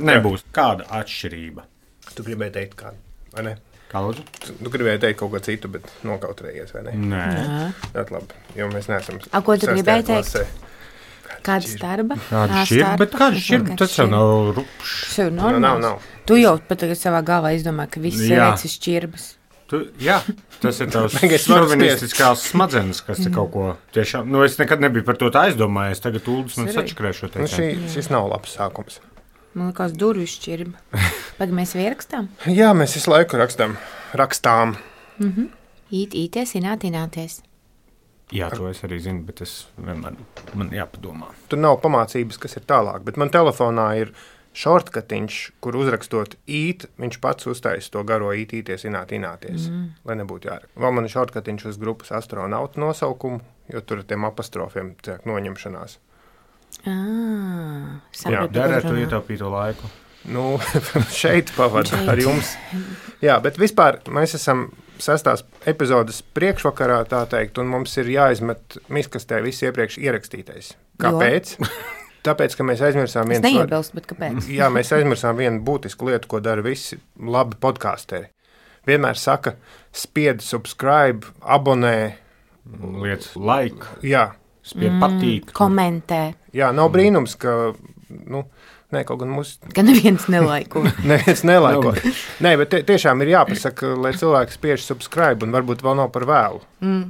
Nebūs. Kāda atšķirība? Tu gribēji teikt kādu, vai ne? Kā lūdzu? Tu gribēji teikt kaut ko citu, bet nokautrējies, vai ne? Nē. Ļoti labi, jo mēs neesam... Ko tu gribēji teikt? Klasē. Kāda starba? Kāda šķirba? Bet kāda šķirba? Tas jau nav rupšs. Tas jau normāls. Nav. Tu jau pat savā galvā izdomā, ka viss sievietes ir šķirbas. Jā, tas ir tavs šovinistiskās smadzenes, kas te kaut ko tiešām... Nu, es nekad nebiju par to tā aizdomājies. Tagad Uldis man sačakrēšo teicāt. Šis nav labs sākums. Man liekas, durvju šķirba. Pag mēs ierakstām? Jā, mēs visu laiku rakstām. Īties, ināties. Jā, to es arī zinu, bet es vienmēr man jāpadomā. Tur nav pamācības, kas ir tālāk, bet man telefonā ir šortkatiņš, kur uzrakstot īt, viņš pats uztaisa to garo īties, ināties, lai nebūtu jāraksta. Vēl man ir šortkatiņš uz grupas astronautu nosaukumu, jo tur ar tiem apostrofiem tiek noņemšanās. Jā, derētu ietaupīto laiku. Nu, šeit pavadu ar jums. Jā, bet vispār mēs esam 6. epizodes priekšvakarā, tā teikt, un mums ir jāizmet miskastē viss iepriekš ierakstītais. Kāpēc? Tāpēc, ka mēs aizmirsām vienu... Es neiebilstu, bet kāpēc? Jā, mēs aizmirsām vienu būtisku lietu, ko dara visi labi podkāsteri. Vienmēr saka, spied subscribe, abonē. Liec like. Jā. Spied patīk. Komentē. Jā, nav brīnums, ka... kaut gan mūs... Ka neviens nelaiko. Neviens nelaiko. Nē, bet tiešām ir jāpasaka, lai cilvēki spiež subscribe, un varbūt vēl nav par vēlu.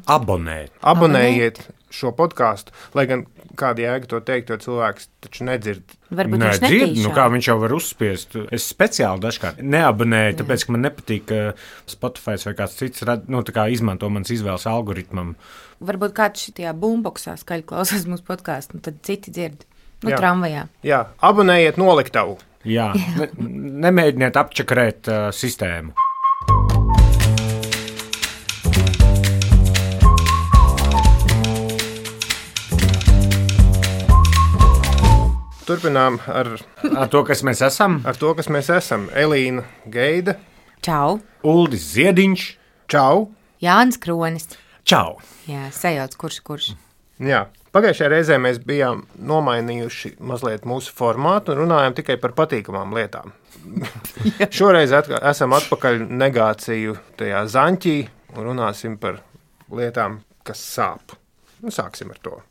Abonēt. Abonējiet šo podkāstu, lai gan kāda jēga to teikt, jo cilvēks taču nedzird. Varbūt viņš netīšām. Nu kā viņš jau var uzspiest. Es speciāli dažkārt neabonēju, tāpēc, ka man nepatīk, ka Spotify vai kāds cits izmanto mans izvēles algoritmam. Varbūt kāds šitajā boomboxā skaļi klausās mūsu podkāstu, un tad citi dzird. Tramvajā. Jā, abonējiet noliktavu. Jā, nemēģiniet apčakrēt sistēmu. Turpinām ar to, kas mēs esam. Ar to, kas mēs esam. Elīna Geida. Čau. Uldis Ziediņš. Čau. Jānis Kronis. Čau. Jā, sajauc kurš. Jā. Pagājušajā reizē mēs bijām nomainījuši mazliet mūsu formātu un runājām tikai par patīkamām lietām. Šoreiz esam atpakaļ negāciju tajā zaņķī un runāsim par lietām, kas sāp. Sāksim ar to.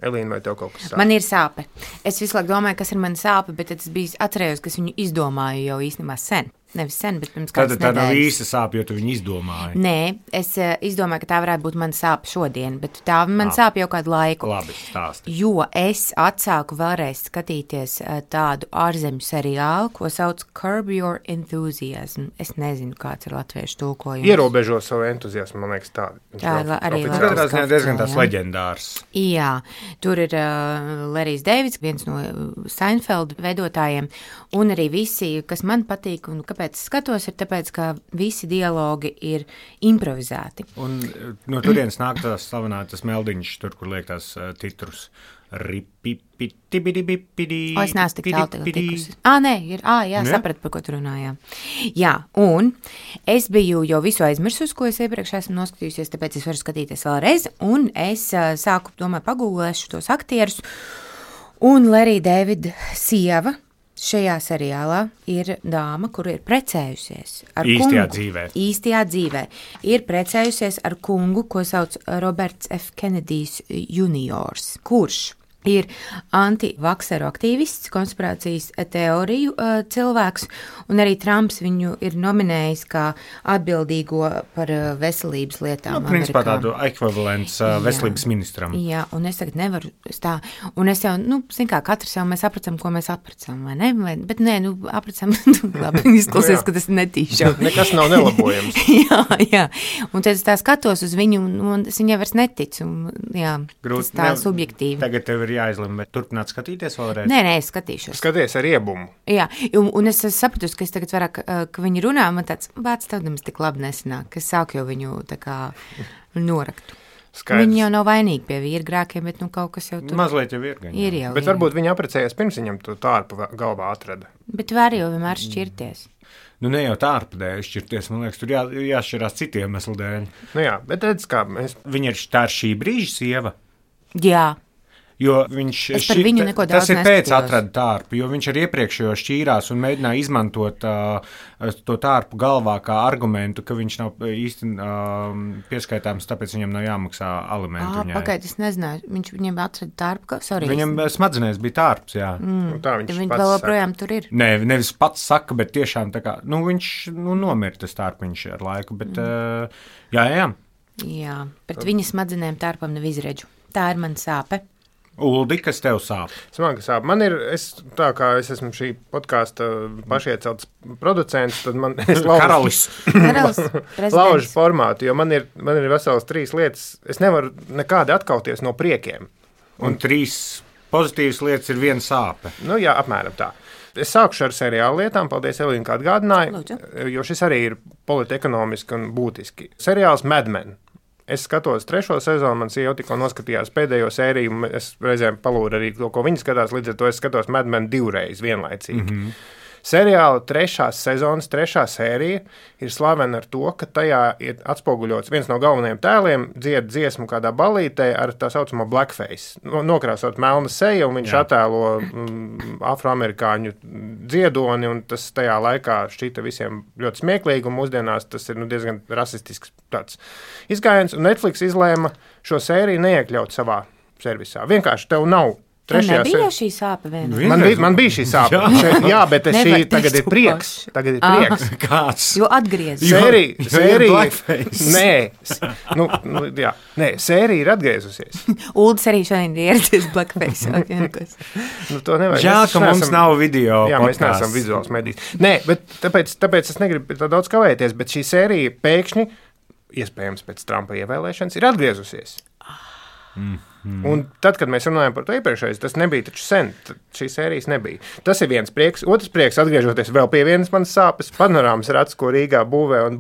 Elīna, vai tev kaut kas sāp? Man ir sāpe. Es visu laiku domāju, kas ir mana sāpe, bet es atcerējos, ka es viņu izdomāju jau īstenībā sen. Nevis sen, bet pirms kādas nedēļas. Tad tā nav īsta sāpe, jo tu viņu izdomāji. Nē, es izdomāju, ka tā varētu būt mana sāpe šodien, bet tā man sāp jau kādu laiku. Labi, stāsti. Jo es atsāku vēlreiz skatīties tādu ārzemju seriālu, ko sauc Curb Your Enthusiasm. Es nezinu, kāds ir latviešu tulkojums. Ierobežo savu entuziasmu, man liekas tā. Tā arī ir diezgan tās leģendārs. Jā, tur ir Lerijs Deivids, viens no Seinfeld veidotājiem, un arī visi, kas man patīk un kāpēc es skatos, ir tāpēc, ka visi dialogi ir improvizēti. Un no turienes nāk tās slavenātas meldiņas, tur, kur liek tās titrus. Ripipitibidibipidi. Es neesmu tik tālu tagad tikusi. Nē, jā, sapratu, par ko tu runājā. Jā, un es biju jau visu aizmirsus, ko es iepriekš esmu noskatījusies, tāpēc es varu skatīties vēlreiz, un es sāku, pagūlēšu tos aktierus, un Lerija Davida sieva šajā seriālā ir dāma, kura ir precējusies ar kungu. Īstajā dzīvē. Ir precējusies ar kungu, ko sauc Roberts F. Kennedijs juniors, kurš ir antivakseru aktīvists, konspirācijas teoriju cilvēks, un arī Trumps viņu ir nominējis kā atbildīgo par veselības lietām. Principā tādu ekvivalents veselības ministram. Jā, un es tagad nevaru tā, un es jau, katrs jau mēs apracam, ko mēs apracam, vai ne? Bet nē, apracam, labi, izklausies, ka tas netīšām. Nekas nav nelabojams. jā, un tad es tā skatos uz viņu, un es viņai vairs neticu, un jā, tas tā subjektīvi. Tagad tev ir jāizlem, bet turpināt skatīties vēlreiz? Nē, es skatīšos. Skaties ar iebumu. Jā, un es sapratu, ka es tagad vairāk, ka viņi runā, man tāds bāc tādams tik labi nesanāk, ka es sāku jau viņu tā kā noraktu. Skaidrs. Viņi jau nav vainīgi pie vīra grēkiem, bet kaut kas jau tur. Mazliet jau ir. Ir jau. Bet varbūt viņi apprecējās pirms viņam to tārpu galvā atrada. Bet var jau vienmēr šķirties. Ne jau tārpa dēļ šķirties, man liekas, tur jāšķirās citiem iemeslu dēļ. Jā, bet redz, kā mēs... Viņa ir tā šī brīža sieva? Jā. Jo viņš tas ir pēc atrada tārpu, jo viņš ar iepriekšējo šķīrās un mēģināja izmantot to tārpu galvā kā argumentu, ka viņš nav īsti pieskaitāms, tāpēc viņam nav jāmaksā alimenti. Pagaid, es nezināju, viņam atrada tārpu, Viņam smadzenēs bija tārps, jā. Tā viņš vēl joprojām tur ir. Nē, nevis pats saka, bet tiešām tā kā, viņš nomira tas tārpiņš ar laiku, bet jā. Jā, pret viņa smadzenēm tārpam nav izredžu. Tā ir man sāpe. Uldi, kas tev sāp? Smaga sāp. Man ir, tā kā es esmu šī podkāsta pašiecelts producents, tad man Karalis laužu formātu, jo man ir vesels 3 lietas. Es nevaru nekādi atkauties no priekiem. Un 3 pozitīvas lietas ir viena sāpe. Jā, apmēram tā. Es sākušu ar seriālu lietām, paldies Elīna, kā atgādināja, jo šis arī ir politekonomiski un būtiski. Seriāls Mad Men. Es skatos 3. sezonu, man sieva tikko noskatījās pēdējo sēriju, es reizēm palūdu arī to, ko viņi skatās, līdz ar to es skatos Mad Men 2 reizes vienlaicīgi. Seriāla 3. sezonas 3. sērija ir slavena ar to, ka tajā ir atspoguļots viens no galvenajiem tēliem, dzied dziesmu kādā ballītē ar tā saucamo blackface. Nokrāsot melna seja, un viņš attēlo afroamerikāņu dziedoni, un tas tajā laikā šķita visiem ļoti smieklīgi, un mūsdienās tas ir diezgan rasistisks tāds izgājiens, un Netflix izlēma šo sēriju neiekļaut savā servisā. Vienkārši tev nav. Man nebija šī sāpe vienā. Man bija šī sāpe. Jā, bet šī tagad ir prieks. Kāds? Jo atgriezis. Sērija. Nē, sērija ir atgriezusies. Uldis arī šodien ir ieradies blackface. To nevar. Jā, ka mums nav video. Jā, mēs neesam vizuāls medijs. Nē, bet tāpēc es negribu tā daudz kavēties, bet šī sērija pēkšņi, iespējams pēc Trumpa ievēlēšanas, ir atgriezusies. Un tad, kad mēs runājam par to iepriekšējais, tas nebija taču sen, šīs sērijas nebija. Tas ir viens prieks. Otrs prieks, atgriežoties vēl pie vienas manas sāpes, panorāmas rats, ko Rīgā būvē un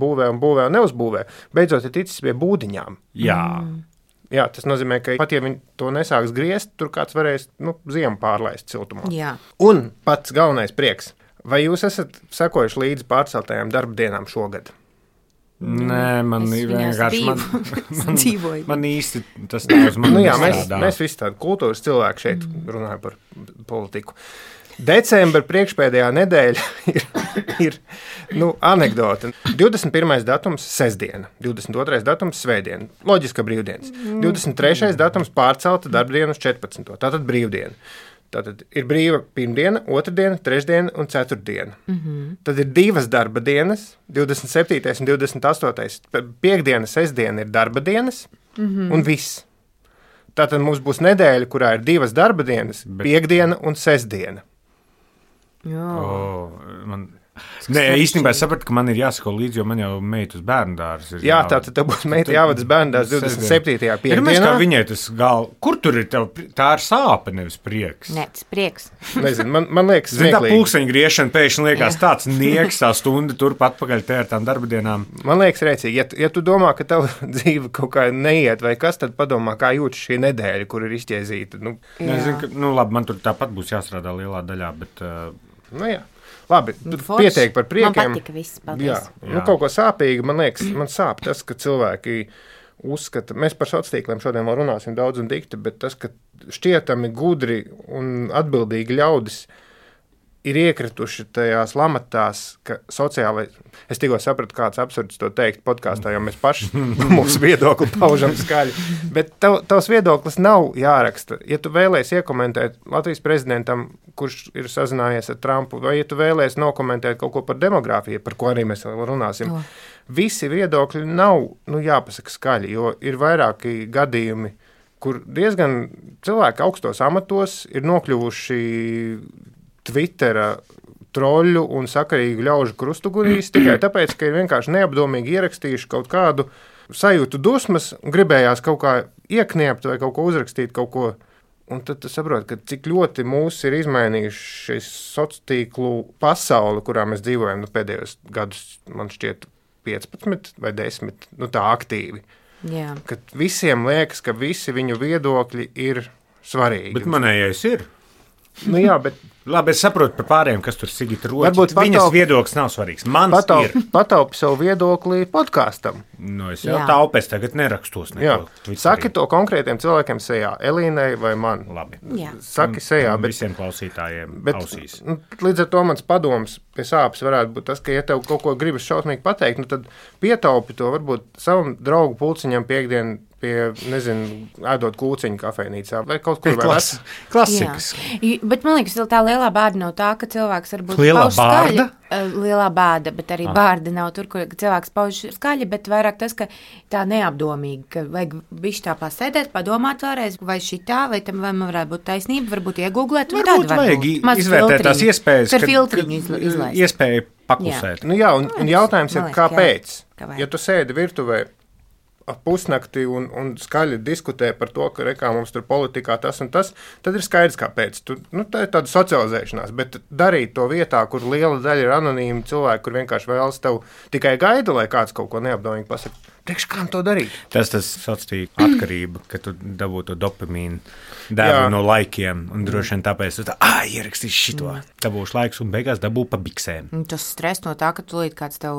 neuzbūvē, beidzot ir ticis pie būdiņām. Jā, tas nozīmē, ka pat ja viņi to nesāks griezt, tur kāds varēs ziemu pārlaist siltumā. Jā. Un pats galvenais prieks. Vai jūs esat sekojuši līdzi pārceltajām darba dienām šogad? Nē, man vienkārši man īsti tas nav uz mani strādā. Mēs visi tādi kultūras cilvēki šeit runājam par politiku. Decembra priekšpēdējā nedēļa ir anekdote. 21. datums sestdiena, 22. datums svētdiena, loģiska brīvdienas. 23. datums pārcelta darbdiena uz 14. Tātad brīvdiena. Tātad ir brīva pirmdiena, otrdiena, trešdiena un ceturtdiena. Tad ir 2 darba dienas, 27. un 28. Piektdiena, sestdiena ir darba dienas un viss. Tātad mums būs nedēļa, kurā ir 2 darba dienas, piektdiena un sestdiena. Nē, īstenībā es sapratu, ka man ir jāsako līdzi, jo man jau meita uz bērndārs ir. Jā, tātad tev būs meita jāvada uz bērndārs 27. piekdienā. Kā viņai tas kur tur ir tev, tā ir sāpe, nevis prieks. Nē, tas prieks. Nezinu, man liekas smieklīgi. Tā pulksteņa griešana pēkšņi liekas tāds nieks, tā stunda turp atpakaļ te ar tām darba dienām. Man liekas rēcīgi, ja tu domā, ka tava dzīve kaut kā neiet vai kas, tad padomā, kā jūtas šī nedēļa, kur ir izķēzīta. Nezinu, ka, labi, man tur tāpat būs jāstrādā lielā daļā, bet. Jā. Labi, pietiek par priekiem. Man patika viss, paldies. Jā. Kaut ko sāpīgi, man liekas, man sāp tas, ka cilvēki uzskata, mēs par sociāliem tīkliem šodien vēl runāsim daudz un dikti, bet tas, ka šķietami gudri un atbildīgi ļaudis ir iekrituši tajās lamatās, ka sociālai, es tikko sapratu, kāds absurds to teikt podkāstā, jo mēs paši mūsu viedokli paužam skaļi, bet tavs viedoklis nav jāraksta. Ja tu vēlēs iekomentēt Latvijas prezidentam, kurš ir sazinājies ar Trumpu, vai ja tu vēlēs nokomentēt kaut ko par demogrāfiju, par ko arī mēs vēl runāsim, visi viedokļi nav jāpasaka skaļi, jo ir vairāki gadījumi, kur diezgan cilvēki augstos amatos ir nokļuvuši Twittera troļu un sakarīgu ļaužu krustugurīs tikai tāpēc, ka ir vienkārši neapdomīgi ierakstījuši kaut kādu sajūtu dusmas un gribējās kaut kā iekniept vai kaut ko uzrakstīt, kaut ko. Un tad tu saproti, ka cik ļoti mūs ir izmainījuši šis sociālo tīklu pasauli, kurā mēs dzīvojam pēdējos gadus, man šķiet 15 vai 10, tā aktīvi. Jā. Kad visiem liekas, ka visi viņu viedokļi ir svarīgi. Bet manējais ir. Jā, bet Labi, es saprotu par pārējiem, kas tur Sigita Roķi. Viņas viedoklis nav svarīgs. Mans ir. Pataupi savu viedokli podkāstam. Nu, es jau taupēs tagad nerakstos neko. Saki to konkrētiem cilvēkiem sejā, Elīnai vai man. Labi. Saki sejā. Bet visiem klausītājiem ausīs. Līdz ar to mans padoms pie sāpes varētu būt tas, ka, ja tev kaut ko gribas šausmīgi pateikt, tad pietaupi to varbūt savam draugu pulciņam piekdien pie, ēdot kūciņu kafejnīcā vai kaut kur vēl. Klasikas. Bet man liekas, tā lielā bāda nav tā, ka cilvēks varbūt pauž skaļi. Lielā bāda, bet arī bārda nav tur, kur cilvēks pauž skaļi, bet vairāk tas, ka tā neapdomīgi, ka vajag bišķi tā pasēdēt, padomāt vēlreiz, vai šitā, vai tam vai man varētu būt taisnība, varbūt iegooglēt, vai tāda vajag izvērtēt tās iespējas, ka filtriņu iespēja paklusēt. Un jautājums ir, kāpēc? Ja tu sēdi virtuvē pusnakti un skaļi diskutē par to, ka rekā mums tur politikā tas un tas, tad ir skaidrs, kāpēc. Tā ir tāda socializēšanās, bet darīt to vietā, kur liela daļa ir anonīmi cilvēki, kur vienkārši vēlas tev tikai gaida, lai kāds kaut ko neapdomīgi pasaka. Priekš kādam to darīt? Tas sociāla atkarība, ka tu dabū to dopamīnu devu no laikiem, un droši vien tāpēc tu ierakstīsi šito. Dabūšu laiks un beigās dabū pa biksēm. Tas stress no tā, ka tu līdz kāds tev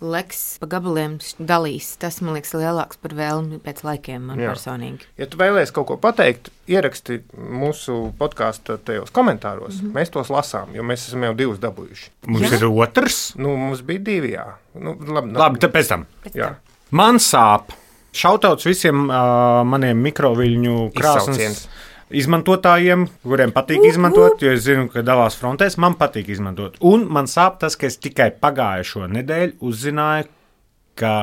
leks pa gabaliem dalīs. Tas, man liekas, lielāks par vēlmi pēc laikiem man personīgi. Ja tu vēlies kaut ko pateikt, ieraksti mūsu podkāstu tajos komentāros. Mēs tos lasām, jo mēs esam jau 2 dabūjuši. Mums ir otrs? Mums bija 2, jā. Labi, tad pēc tam. Man sāp. Šautauts visiem maniem mikroviļņu krāsnes izmantotājiem, kuriem patīk izmantot, jo es zinu, ka dalās frontēs, man patīk izmantot. Un man sāp tas, ka es tikai pagājušo nedēļu uzzināju, ka,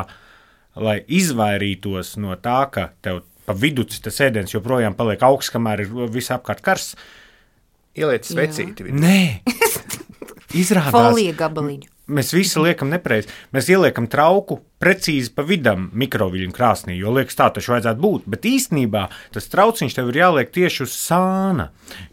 lai izvairītos no tā, ka tev pa viduci tas ēdiens joprojām paliek augsts, kamēr ir visapkārt karsts. Ieliec svecīti. Nē, izrādās. Folija gabaliņu. Mēs visi liekam nepareizi. Mēs ieliekam trauku precīzi pa vidam mikroviļņu krāsnī, jo liekas, tā taču vajadzētu būt. Bet īstenībā tas trauciņš tev ir jāliek tieši uz sāna,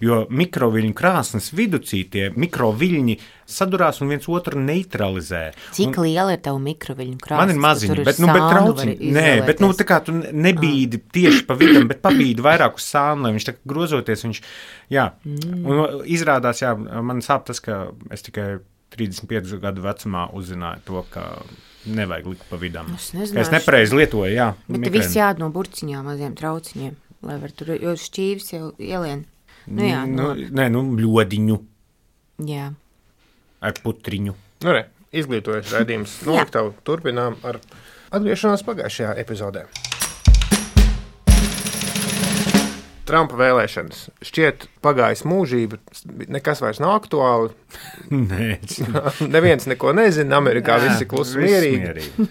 jo mikroviļņu krāsnes viducī tie mikroviļņi sadurās un viens otru neutralizē. Cik liela ir tava mikroviļņu krāsne? Man ir maziņa, bet trauciņi. Nē, bet tā kā tu nebīdi tieši pa vidam, bet pabīdi vairāk uz sānu, lai viņš tā grozoties, Un izrādās, man sāp tas, ka es tikai 35 gadu vecumā uzzināju to, ka nevajag likt pa vidam. Es nepareizi lietoju, Bet viss jād no burciņām, maziem trauciņiem, lai var tur, jo šķīvis jau ielien. Ļodiņu. Jā. Ar putriņu. Izglītojuši raidījums. Noliktavu turpinām ar atgriešanos pagājušajā epizodē. Trumpa vēlēšanas. Šķiet, pagājis mūžība, nekas vairs nav aktuāli. Nē. Neviens neko nezina, Amerikā visi klusi mierīgi.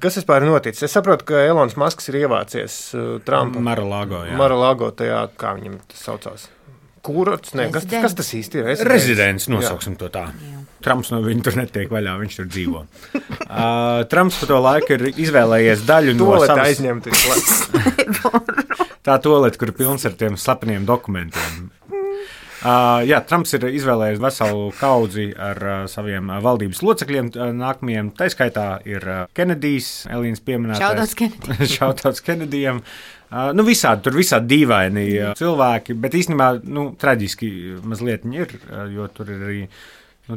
Kas vispār ir noticis? Es saprotu, ka Elons Masks ir ievācies Trumpa. Mar-a-Lago tajā, kā viņam tas saucās. Kurorts? Kas tas īsti ir? Rezidents, nosauksim to tā. Trumps no viņa tur netiek vaļā, viņš tur dzīvo. Trumps pa to laiku ir izvēlējies daļu no savas... aizņemt. Tā tolete, kur ir pilns ar tiem slepeniem dokumentiem. Trumps ir izvēlējies veselu kaudzi ar saviem valdības locekļiem nākamajiem. Tā skaitā ir Kenedijs, Elīnas pieminētais. Šautauts Kenedijam. Visādi, tur visādi dīvaini cilvēki, bet īstenībā traģiski mazliet viņi ir, jo tur ir arī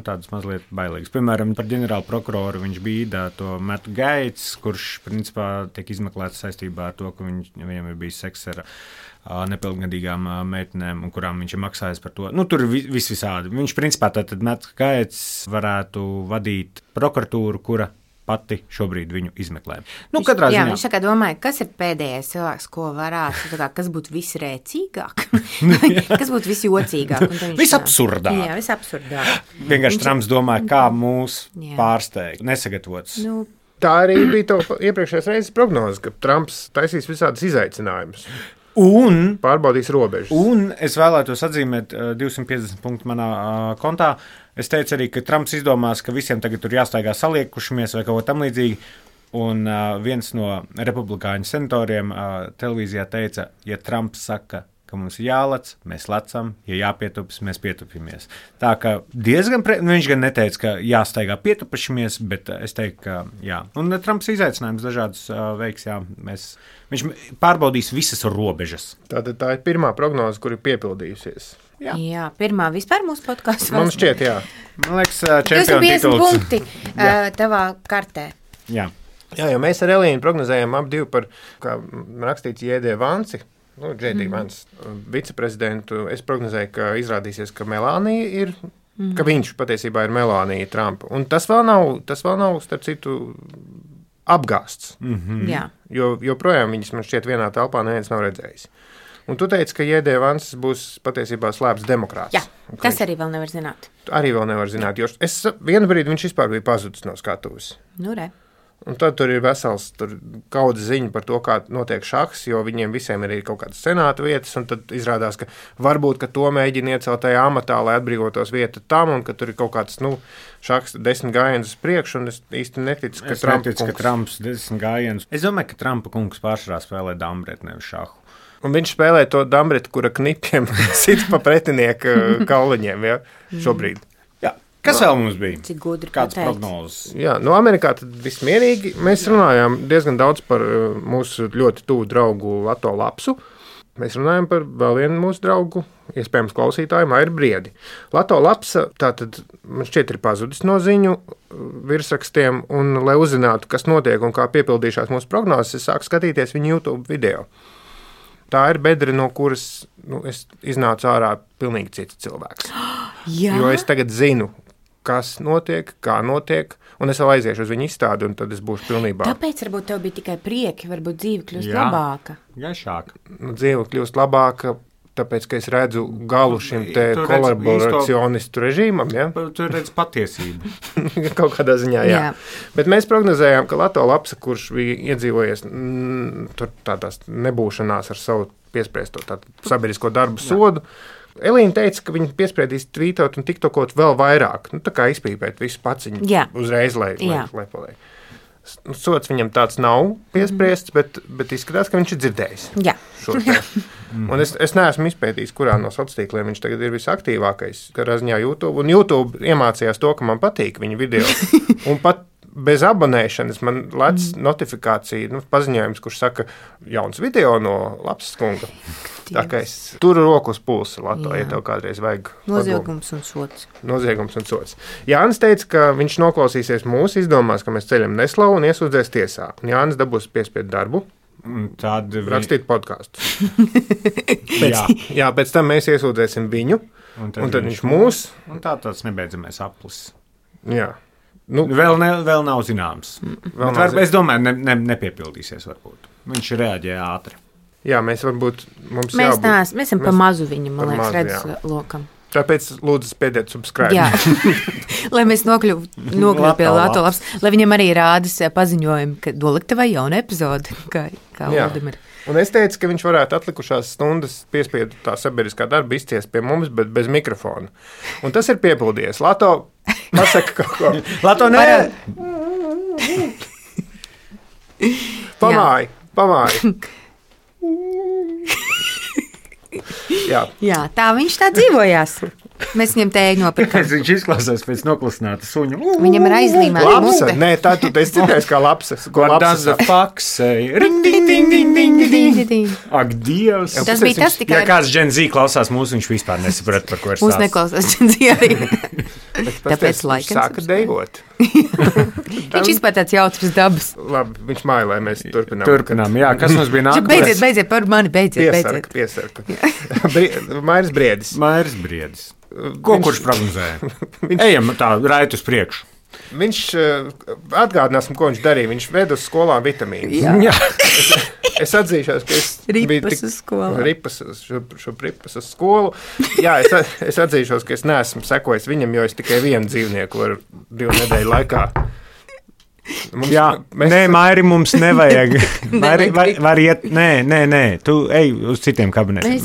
tādas mazliet bailīgas. Piemēram, par ģenerālu prokuroru viņš bīda to Mattu Gates, kurš principā tiek izmeklēts saistībā ar to, ka viņam ir bijis seks ar nepilngadīgām meitenēm, un kurām viņš ir maksājis par to. Tur ir visādi. Viņš principā tātad Mattu Gates varētu vadīt prokuratūru, kura pati šobrīd viņu izmeklē. Katrā ziņā. Viņš tā domāja, kas ir pēdējais cilvēks, ko varētu, kas būtu visrēcīgāk, kas būtu visjocīgāk. Visabsurdāk. Jā, visabsurdāk. Vienkārši Trumps domāja, kā mūs pārsteigt, nesagatavots. Tā arī bija to iepriekšējās reizes prognoze, ka Trumps taisīs visādas izaicinājumus. Un pārbaudīs robežas. Un es vēlētos atzīmēt 250 punktu manā kontā. Es teicu arī, ka Trumps izdomās, ka visiem tagad tur jāstaigā saliekušamies vai kaut ko tam līdzīgi. Un viens no republikāņu senatoriem televīzijā teica, ja Trumps saka, ka mums ir jālec, mēs lecam, ja jāpietupas, mēs pietupamies. Tā kā diezgan, viņš gan neteica, ka jāstaigā pietupašamies, bet es teiktu, ka jā. Un Trumps izaicinājums dažādus veiks, jā. Viņš pārbaudīs visas robežas. Tātad tā ir pirmā prognoze, kur ir piepildījusies. Jā, pirmā vispār mūsu podkāstā. Man šķiet, jā. Man liekas, čempionu tituls. 250 punkti tavā kartē. Jā. Jā, jo mēs ar Elīnu prognozējām ap 2 par, kā rakstīts, J.D. Vanci, J.D. Vance, viceprezidentu. Es prognozēju, ka izrādīsies, ka Melānija ir, ka viņš patiesībā ir Melānija Trumpa. Un tas vēl nav, starp citu, apgāsts. Jā. Jo joprojām viņas man šķiet vienā telpā neviens nav redzējis. Un tu teici, ka J.D. Vance būs patiesībā slēpts demokrāts. Jā, tas arī vēl nevar zināt. Arī vēl nevar zināt, jo vienu brīdi viņš vispār bija pazudis no skatuves. Nu, re. Un tad tur ir vesels kaudzes ziņa par to, kā notiek šahs, jo viņiem visiem ir kaut kādas senāta vietas, un tad izrādās, ka varbūt, ka to mēģina iecelt tajā amatā, lai atbrīvotos vieta tam, un ka tur ir kaut kāds, šahs 10 gājienus uz priekšu, un es īsti neticu, ka Trumps 10 gājienus. Es domāju, ka Trumpa kungs pārsvarā spēlē dambretu, nevis šahu. Un viņš spēlē to dambretu, kura knipiem sit pa pretinieku kauliņiem, ja, šobrīd. Kas vēl mums bija? Cik gudri kāds prognozes? Jā, Amerikā tad viss mierīgi. Mēs runājām diezgan daudz par mūsu ļoti tuvu draugu Lato Lapsu. Mēs runājam par vēl vienu mūsu draugu, iespējams klausītāju, Mairu Briedi. Lato Lapsa tātad man šķiet ir pazudis no ziņu virsrakstiem, un lai uzzinātu, kas notiek un kā piepildīšās mūsu prognozes, es sāku skatīties viņu YouTube video. Tā ir bedre, no kuras es iznācu ārā pilnīgi cits cilvēks. Jā? Jo es tagad zinu, kas notiek, kā notiek, un es vēl aiziešu uz viņu izstādi, un tad es būšu pilnībā. Tāpēc varbūt tev bija tikai prieki, varbūt dzīve kļūst labāka. Gaišāka. Dzīve kļūst labāka, tāpēc, ka es redzu galu šim te kolaboracionistu režīmam, ja? Tu redz patiesību. Kaut kādā ziņā, jā. Bet mēs prognozējām, ka Lato Lapsa, kurš bija iedzīvojies tur tādās nebūšanās ar savu piespriesto sabiedrisko darbu sodu, Elīna teica, ka viņi piespriedīs tvītot un tiktokot vēl vairāk. Tā kā izpīpēt visu paciņu uzreiz, lai paliek. Sots viņam tāds nav piespriests, bet izskatās, ka viņš ir dzirdējis. Jā. Un es neesmu izpētījis, kurā no sociāliem viņš tagad ir visaktīvākais. Katrā ziņā YouTube. Un YouTube iemācījās to, ka man patīk viņa video. Un pat bez abonēšanas man lec notifikācija, paziņojums, kurš saka, jauns video no Lapsas kunga. Tā kā es turu roku uz pulsa, Lato, ja tev kādreiz vajag. Noziegums un sots. Noziegums un sots. Jānis teica, ka viņš noklausīsies mūsu, izdomās, ka mēs ceļam neslavu un iesūdzēs tiesā. Un Jānis dabūs piespiedu darbu. Tad rakstīt podkāstus. Pēc tam mēs iesūdzēsim viņu, un tad viņš mūs. Un tāds nebeidzamais aplis. Jā. Vēl nav zināms. Es domāju, nepiepildīsies varbūt. Viņš reaģēja ātri. Jā, mēs varbūt mēs esam pa mazu viņam, man liekas, redz lokam. Tāpēc lūdzu spiediet subscribe. Jā, lai mēs nokļūtu pie Lato Lapsas, lai viņam arī rādas paziņojumi, ka doliktavai jauna epizode, kā Valdimir. Un es teicu, ka viņš varētu atlikušās stundas piespiedu tā sabiedriskā darba izciest pie mums, bet bez mikrofona. Un tas ir piepildījies. Lato, pasaka kaut ko. Lato, nē! Pamāj. Jā, tā viņš tā dzīvojās. Mēs viņam tēju nopirkām. Viņš izklausās pēc noklusināta suņa. Viņam ir aizlīmēta mute. Nē, tā tu esi dzirdējis kā lapsas. What does the fuck say? Ring, ding, ding, ding, ding, ding, ding. Ak, Dievs. Tas bija tas tikai... Ja kāds Gen Z klausās mūsu, viņš vispār nesaprat, par ko ir stāsts. Mūs neklausās Gen Z arī. Tāpēc laikam. Sāka deivot. Viņš vispār tāds jautrs dabas. Labi, viņš māja, lai mēs turpinām. Turpinām, jā. Kas mums bija nākamais? Beidziet par mani, beidziet. Piesarka. Mairis Briedis. Kurš prognozēja? Ejam tā, rājot uz priekšu. Viņš, atgādināsim, ko viņš darīja. Viņš ved uz skolām vitamīnus. Jā. Es atzīšos, ka es ripas uz skolu. Ripas uz skolu. Jā, es atzīšos, ka es neesmu sekojis viņam, jo es tikai vienu dzīvnieku varu 2 nedēļu laikā. Mairi, mums nevajag. Var iet, nē, tu ej uz citiem kabinetiem.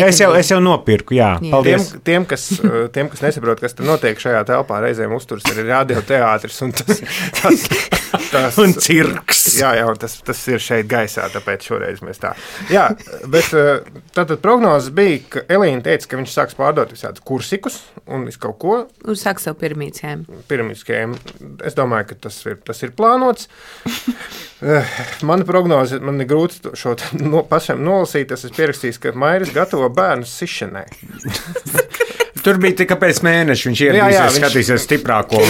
Es jau nopirku, jā. Paldies. Tiem, kas nesaprot, kas tur notiek šajā telpā, reizēm uzturs ir radioteātris, un tas un cirks. Jā, un tas ir šeit gaisā, tāpēc šoreiz mēs tā. Jā, bet tātad prognozes bija, ka Elīna teica, ka viņš sāks pārdot visādus kursikus un visu kaut ko. Un sāks savu piramīdskēmu. Es domāju, ka tas ir plānots. Mana prognoze, man ir grūti šo pašam nolasīt, tas ir pierakstījis, ka Mairis gatavo bērnus sišanai. Tur bija tikai pēc mēneša, viņš ieradīsies, skatīsies stiprāko.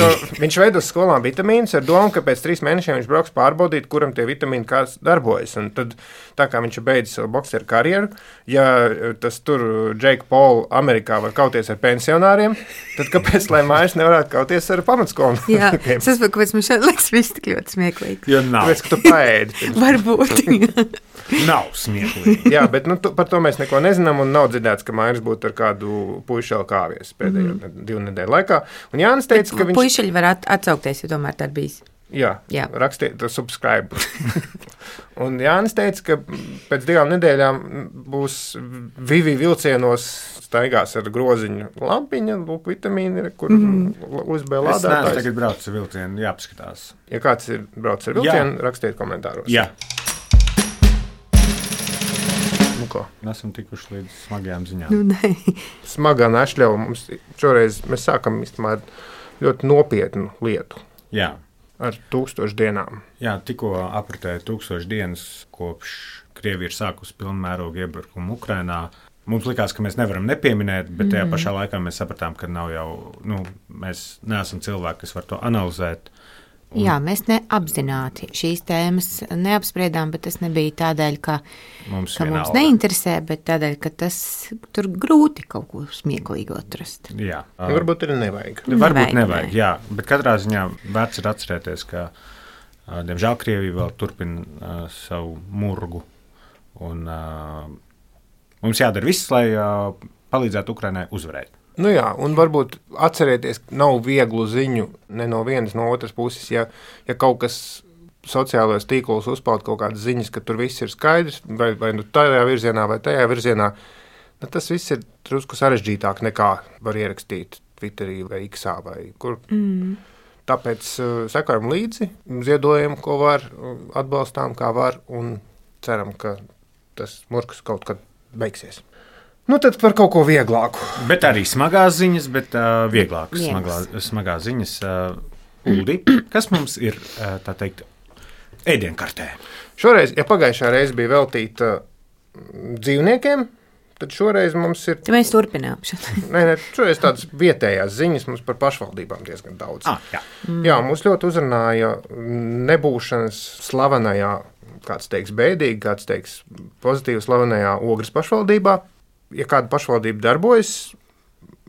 Viņš veidos skolām vitamīnus ar domu, ka pēc 3 mēnešiem viņš brauks pārbaudīt, kuram tie vitamīni kāds darbojas. Un tad, tā kā viņš beidzis savu bokseru karjeru, ja tas tur Jake Paul Amerikā var kauties ar pensionāriem, tad kāpēc, lai Mairis nevarētu kauties ar pamatskolu? Jā, es saprotu, kāpēc man šeit liekas viss tik ļoti smieklīgi. Jo nav. Tāpēc, ka tu paēdi. Varbūt. Nav smieklīgi. Jā, bet par to mēs neko nezinām un nav dzirdēts, ka Mairis būtu ar kādu puišelu kāvies pēdējo 2 nedēļu laikā. Un Jānis teica, ka viņš... Puišeļi var atsaukties, jo tomēr tā ir bijis. Jā. Rakstiet subscribe. Un Jānis teica, ka pēc 2 nedēļām būs Vivi vilcienos staigās ar groziņu lampiņa, lūk, vitamīni, kur USB lādētājs. Es neesmu tagad braucis ar vilcienu, jāpaskatās. Ja kāds ir braucis ar vilcienu, rakstiet komentāros. Jā. Nesam tikuši līdz smagajām ziņām. Smagā nešļauja mums šoreiz, mēs sākam īstenībā ļoti nopietnu lietu. Jā. Ar 1000 dienām. Jā, tikko apritēja 1000 dienas, kopš Krievija ir sākusi pilnmērogu iebrukumu Ukrainā. Mums likās, ka mēs nevaram nepieminēt, bet tajā pašā laikā mēs sapratām, ka nav jau, mēs neesam cilvēki, kas var to analizēt. Jā, mēs neapzināti šīs tēmas neapspriedām, bet tas nebija tādēļ, ka mums neinteresē, bet tādēļ, ka tas tur grūti kaut ko smieklīgu atrast. Jā. Varbūt arī nevajag. Varbūt nevajag, jā. Bet katrā ziņā vērts ir atcerēties, ka, diemžēl, Krievija vēl turpina savu murgu. Un mums jādara viss, lai palīdzētu Ukrainai uzvarēt. Nu jā, un varbūt atcerieties, nav vieglu ziņu ne no vienas, no otras puses, ja kaut kas sociālajos tīklos uzpaud kaut kādas ziņas, ka tur viss ir skaidrs, vai nu tajā virzienā, vai tajā virzienā, tas viss ir drusku sarežģītāk nekā var ierakstīt Twitterī vai X-ā vai kur. Tāpēc sekojam līdzi, ziedojam, ko var, atbalstām, kā var, un ceram, ka tas murgs kaut kad beigsies. Nu, tad par kaut ko vieglāku. Bet arī smagās ziņas, bet vieglākas smagās ziņas. Uldi, kas mums ir, tā teikt, ēdienkartē? Šoreiz, ja pagājušā reize bija veltīta dzīvniekiem, tad šoreiz mums ir... Mēs turpinām. Nē, šoreiz tādas vietējās ziņas mums par pašvaldībām diezgan daudz. Jā. Jā, mums ļoti uzrunāja nebūšanas slavenajā, kāds teiks bēdīgi, kāds teiks pozitīvi slavenajā Ogres pašvaldībā. Ja kāda pašvaldība darbojas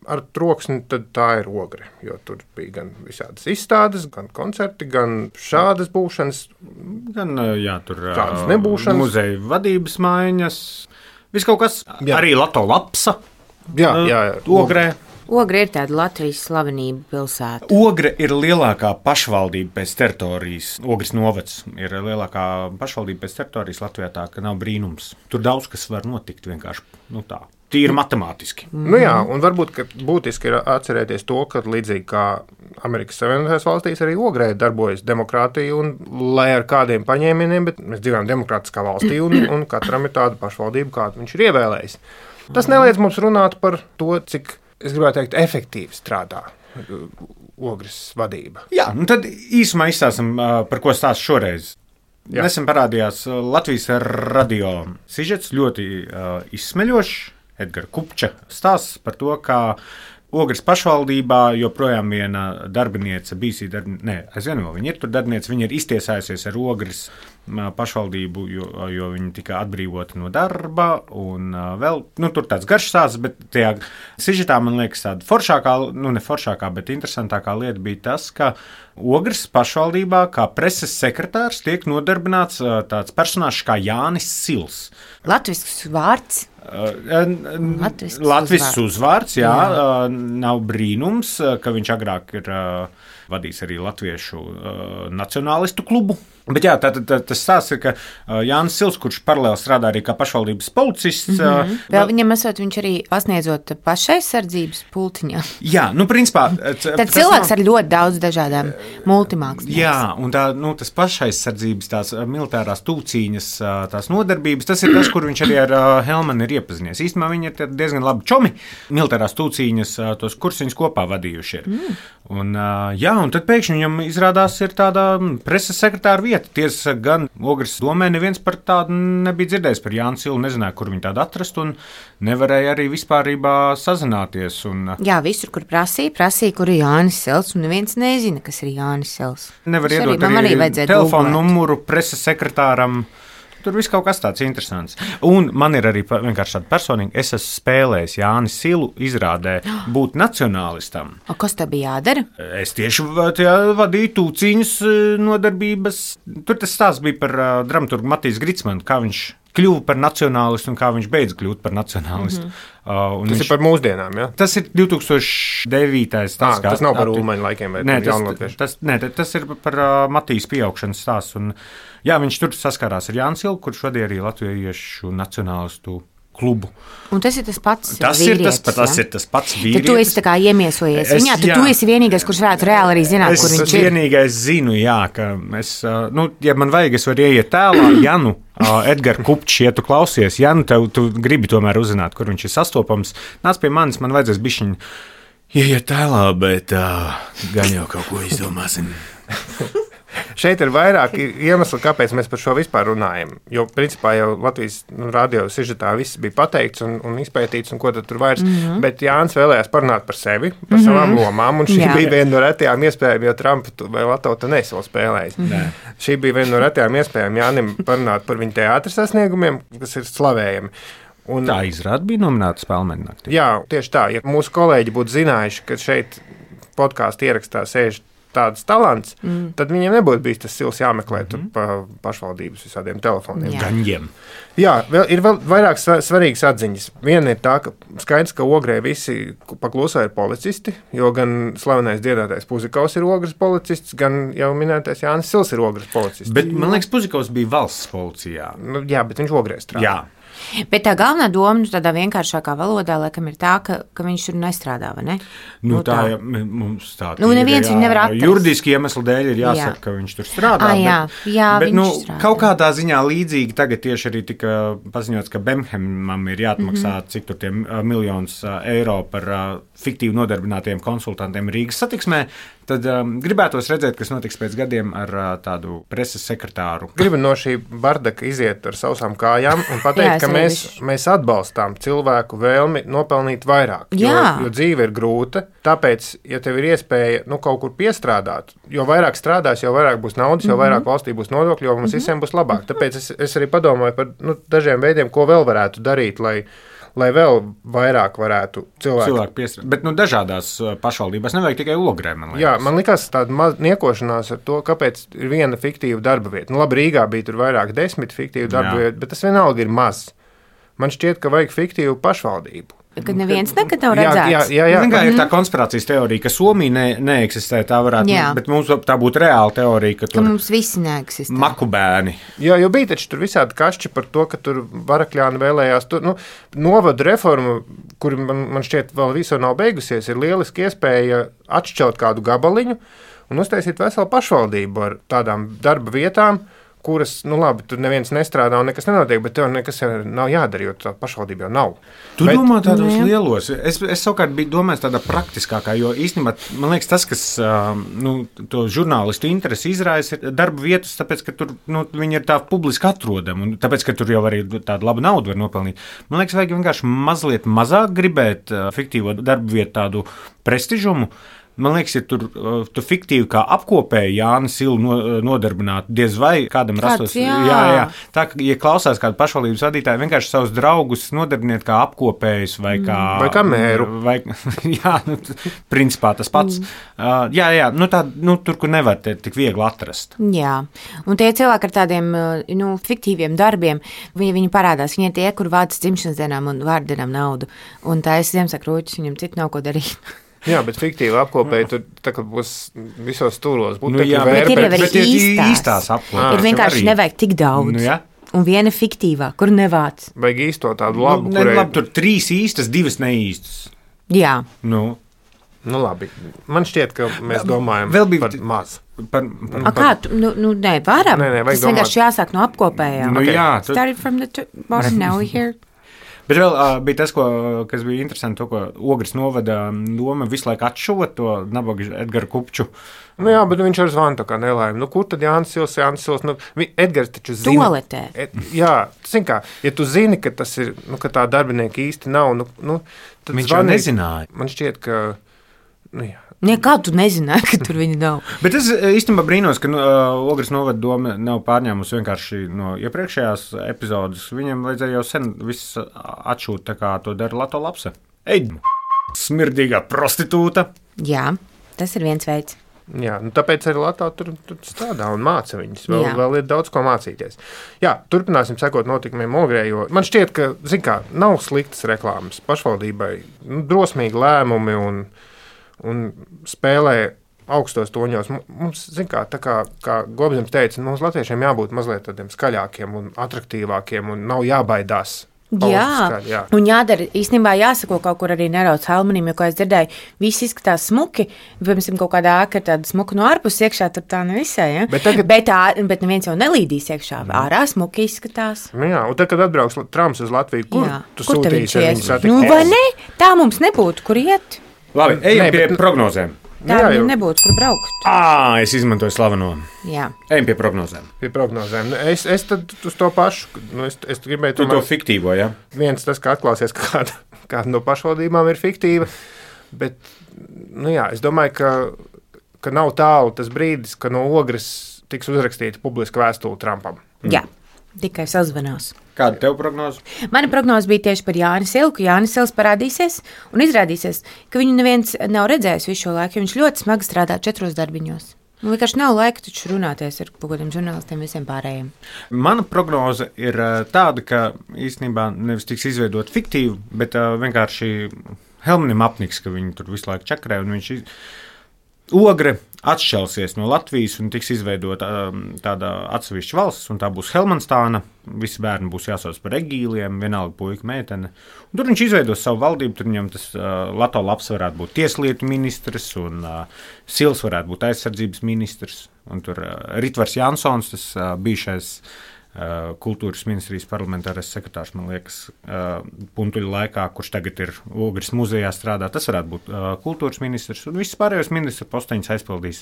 ar troksni, tad tā ir Ogre, jo tur bija gan visādas izstādes, gan koncerti, gan šādas būšanas, gan tur tādas nebūšanas. Muzeja vadības maiņas, viss kaut kas, arī Lato Lapsa, Ogrē. Ogre ir tāda Latvijas slavenība pilsēta. Ogre ir lielākā pašvaldība pēc teritorijas. Ogres novads ir lielākā pašvaldība pēc teritorijas Latvijā, tā ka nav brīnums. Tur daudz kas var notikt vienkārši tā. Tīri matemātiski. Nu jā, un varbūt, ka būtiski ir atcerēties to, ka līdzīgi kā Amerikas Savienotajās valstīs arī Ogrē darbojas demokrātija, un lai ar kādiem paņēmieniem, bet mēs dzīvojam demokrātiskā valstī, un katram ir tāda pašvaldība, kādu viņš ir ievēlējis. Tas neliedz mums runāt par to, cik, es gribētu teikt, efektīvi strādā Ogres vadība. Jā, un tad īsumā izstāstam, par ko stāst šoreiz. Jā. Nesen parādījās Latvijas radio sižets, ļoti izsmeļošs. Edgara Kupča stāsts par to, kā Ogres pašvaldībā joprojām viena darbiniece, aizvien vēl viņa ir tur darbiniece, viņa ir iztiesājusies ar Ogres pašvaldību, jo viņa tika atbrīvota no darba, un vēl, tur tāds garš stāsts, bet tajā sižetā, man liekas, tāda foršākā, ne foršākā, bet interesantākā lieta bija tas, ka Ogres pašvaldībā kā preses sekretārs tiek nodarbināts tāds personāžs kā Jānis Sils. Latvisks vārds. Latvisks uzvārds, jā. Nav brīnums, ka viņš agrāk ir vadījis arī Latviešu nacionālistu klubu. Bet jā, tas stāsts ir, ka Jānis Sils, kurš paralēli strādā arī kā pašvaldības policists. Vēl viņam esot, viņš arī pasniedzot pašaizsardzības pultiņā. Jā, principā. Tad cilvēks ar ļoti daudz dažādām multimāksliniekiem. Jā, un tas pašaizsardzības, tās militārās tūcīņas, tās nodarbības, tas ir tas, kur viņš arī ar Helmanu ir iepazinies. Īstenībā viņi ir diezgan labi čomi, militārās tūcīņas, tos kursiņus kopā vadījuši ir. Un tad pēkšņi viņam izrādās ir tāda preses sekretāra vieta. Tiesa gan Ogres domē neviens par tādu nebija dzirdējis par Jānu Silu, nezināja, kur viņu tādu atrast, un nevarēja arī vispārībā sazināties. Jā, visur, kur prasīja, kur ir Jānis Sils, un neviens nezina, kas ir Jānis Sils. Nevar iedot arī telefonu numuru preses sekretāram. Tur viss kaut kas tāds interesants. Un man ir arī vienkārši tāda personīga. Es esmu spēlējis Jānis Silu izrādē būt nacionālistam. O, kas tev bija jādara? Es tieši vadīju tūcīņas nodarbības. Tur tas stāsts bija par dramaturgu Matīs Gritsmanu, kā viņš kļuva par nacionālistu un kā viņš beidz kļūt par nacionālistu. Tas ir par mūsdienām, ja? Tas ir 2009. Tas nav par Ulmaņa laikiem vai jaunlatviešu? Tas ir par Matīs pieaugšanas stāsts. Un, jā, viņš tur saskārās ar Jānu Silu, kurš vadīja arī latviešu nacionālistu klubu. Un tas ir tas pats vīrietis. Tas ir tas pats vīrietis. Tad tu esi tā kā iemiesojies viņā, tu esi vienīgais, kurš varētu reāli arī zināt, kur viņš ir. Es vienīgais zinu, jā, ka es, ja man vajag, es varu ieiet tēlā, Janu, Edgars Kupčs, ja tu klausies, Janu, tu gribi tomēr uzzināt, kur viņš ir sastopams. Nāc pie manis, man vajadzēs bišķiņ ieiet tēlā, bet gan jau kaut ko izdomāsim. Šeit ir vairāki iemesli, kāpēc mēs par šo vispār runājam. Jo, principā, jau Latvijas radio sižetā viss bija pateikts un izpētīts, un ko tad tur vairs. Bet Jānis vēlējās parunāt par sevi, par savām lomām, un šī bija viena no retajām iespējām, jo Trumpu vai Latviju nesi vēl spēlējis. Šī bija viena no retajām iespējām Jānim parunāt par viņa teātra sasniegumiem, kas ir slavējami. Un, tā izrāda bija nominēta Spēlmeņa naktī. Jā, tieši tā. Ja mūsu kolēģi būtu zinājuši, ka šeit podkāstu ierakstā sēž tāds talants, tad viņiem nebūtu bijis tas Sils jāmeklē pa pašvaldības visādiem telefoniem. Gaņiem. Jā, ir vēl vairāk svarīgas atziņas. Viena ir tā, ka skaidrs, ka Ogrē visi paklusā ir policisti, jo gan slavenais dziedātais Puzikaus ir Ogres policists, gan jau minētais Jānis Sils ir Ogres policists. Bet, man liekas, Puzikaus bija valsts policijā. Jā, bet viņš Ogrē strādā. Jā. Bet tā galvenā doma, tādā vienkāršākā valodā, laikam, ir tā, ka viņš tur nestrādā, vai ne? Tā mums tā neviens viņu nevar atrast. Juridiski iemeslu dēļ ir jāsaka, ka viņš tur strādā. Bet strādā. Kaut kādā ziņā līdzīgi tagad tieši arī tika paziņots, ka Bemhemam ir jāatmaksā cik tur tie miljonus eiro par fiktīvi nodarbinātiem konsultantiem Rīgas satiksmē. Tad gribētos redzēt, kas notiks pēc gadiem ar tādu preses sekretāru. Gribu no šī bardaka iziet ar sausām kājām un pateikt, ka mēs atbalstām cilvēku vēlmi nopelnīt vairāk. Jo dzīve ir grūta, tāpēc, ja tev ir iespēja kaut kur piestrādāt, jo vairāk strādās, jo vairāk būs naudas, jo vairāk valstī būs nodokļi, jo mums visiem būs labāk. Tāpēc es arī padomāju par dažiem veidiem, ko vēl varētu darīt, lai vēl vairāk varētu cilvēku piestrādāt. Bet dažādās pašvaldībās nevajag tikai Ogrē, man liekas. Jā, man likās tāda niekošanās ar to, kāpēc ir viena fiktīva darba vieta. Labi, Rīgā bija tur vairāk 10 fiktīvu darba vietu, bet tas vienalga ir maz. Man šķiet, ka vajag fiktīvu pašvaldību. Kad neviens nekad nav redzēts. Jā. Ir tā konspirācijas teorija, ka Somija neeksistē, tā varētu, bet mums tā būtu reāla teorija, ka tur mums visi neeksistē. Makubēni. Jā, jo bija taču tur visādi kašķi par to, ka tur Varakļāni vēlējās. Novadu reforma, kur man šķiet vēl visu nav beigusies, ir lieliski iespēja atšķelt kādu gabaliņu un uztaisīt veselu pašvaldību ar tādām darba vietām, kuras, labi, tur neviens nestrādā un nekas nenotiek, bet tev nekas nav jādara, jo tā pašvaldība jau nav. Tu domā tādos lielos. Es savukārt biju domājis tādā praktiskākā, jo īstenībā, man liekas, tas, kas to žurnālistu interesi izraisa, ir darba vietas, tāpēc, ka tur viņi ir tā publiski atrodami, un tāpēc, ka tur jau arī tādu labu naudu var nopelnīt. Man liekas, vajag vienkārši mazliet mazāk gribēt fiktīvo darba vietu tādu prestižumu. Man liekas, ja tu fiktīvi kā apkopēji Jāni Silu nodarbinātu, diez vai kādam rastos. Jā. Tā, ja klausās kādu pašvaldības vadītāju, vienkārši savus draugus nodarbiniet kā apkopējus vai kā mēru. Principā tas pats. Tur, kur nevar tik viegli atrast. Jā, un tie cilvēki ar tādiem fiktīviem darbiem, viņi parādās, viņi tie, kur vāc dzimšanas dienām un vārdienām naudu, un tā es Ziemassvētku rūķis, viņam citu nav ko darīt. Jā, bet fiktīvi apkopēji tur tā kā būs visos stūros. Nu, jā, bet ir jau arī īstās apkopēji. Ir vienkārši nevajag tik daudz. Nu, jā. Un viena fiktīvā, kur nevāc. Vajag īsto tādu labu, labi, tur 3 īstas, 2 neīstas. Jā. Nu labi. Man šķiet, ka mēs domājam par maz. Kā tu? Nē, varam. Tas vienkārši jāsāk no apkopējām. Nu, jā. Started from the bottom, now we're here. Bet vēl bija tas, kas bija interesanti, to, ko Ogres novada doma visu laiku atšūt to nabaga Edgara Kupču. Nu jā, bet viņš ar zvanu tā kā nelaimi. Kur tad Jānis Sils? Edgars taču zina. Toaletē. Jā, zin kā, ja tu zini, ka tas ir, ka tā darbinieka īsti nav, tad viņš jau nezināja. Man šķiet, ka, jā. Kā tu nezināji, ka tur viņi nav? Bet es īstenībā brīnos, ka Ogres novada doma nav pārņēmusi vienkārši no iepriekšējās epizodes. Viņam vajadzēja jau sen viss atšūt, tā kā to dara Lato Lapse. Ej, smirdīgā prostitūta. Jā, tas ir viens veids. Jā, tāpēc arī Latvijā tur strādā un māca viņus. Vēl ir daudz ko mācīties. Jā, turpināsim sekot notikumiem Ogrē, jo man šķiet, ka, nav sliktas reklāmas pašvaldībai. Drosmīgi lēmumi un spēlē augstos toņos. Mums, tā kā Gobzems teica, mums latviešiem jābūt mazliet tādiem skaļākiem un atraktīvākiem un nav jābaidās. Jā, un jādara, īstenībā jāsako kaut kur arī nerauc Helmanim, jo, kā es dzirdēju, viss izskatās smuki, piemēram, kaut kādā ēka ir tāda smuka no ārpus iekšā, tur tā nevisai, ja? Bet neviens jau nelīdīs iekšā, ārā smuki izskatās. Jā, un tad, kad atbrauks trams uz Latviju, kur tu sūtīsi ar viņu satikt? Vai ne? Tā mums nebūtu, kur iet. Labi, ejam pie prognozēm. Tā viņam nebūtu, kur braukt. Es izmantoju slaveno. Jā. Ejam pie prognozēm. Es tad uz to pašu. Es gribēju to fiktīvo, jā? Viens tas, ka atklāsies, ka kāda no pašvaldībām ir fiktīva. Bet, es domāju, ka nav tālu tas brīdis, ka no Ogres tiks uzrakstīta publiska vēstule Trumpam. Jā. Tikai sazvanās. Kāda tev prognoze? Mana prognoze bija tieši par Jāni Silu, ka Jānis Sils parādīsies un izrādīsies, ka viņu neviens nav redzējis visu šo laiku, jo viņš ļoti smagi strādā 4 darbiņos. Vienkārši nav laika taču runāties ar kaut kādiem žurnālistiem visiem pārējiem. Mana prognoze ir tāda, ka īstenībā nevis tiks izveidot fiktīvu, bet vienkārši Helmanim apniks, ka viņi tur visu laiku čakarē un viņš Ogre atšķelsies no Latvijas un tiks izveidota tāda atsevišķa valsts, un tā būs Helmanstāna. Visi bērni būs jāsauc par Egīliem, vienalga puika, meitene. Un tur viņš izveidos savu valdību, tur viņam tas Lato Laps varētu būt tieslietu ministrs, un Sils varētu būt aizsardzības ministrs, un tur Ritvars Jansons, tas bijušais kultūras ministrijas parlamentārais sekretārs, man liekas, puntuļu laikā, kurš tagad ir Ogres muzejā strādā, tas varētu būt kultūras ministrs, un viss pārējos ministra posteņus aizpildīs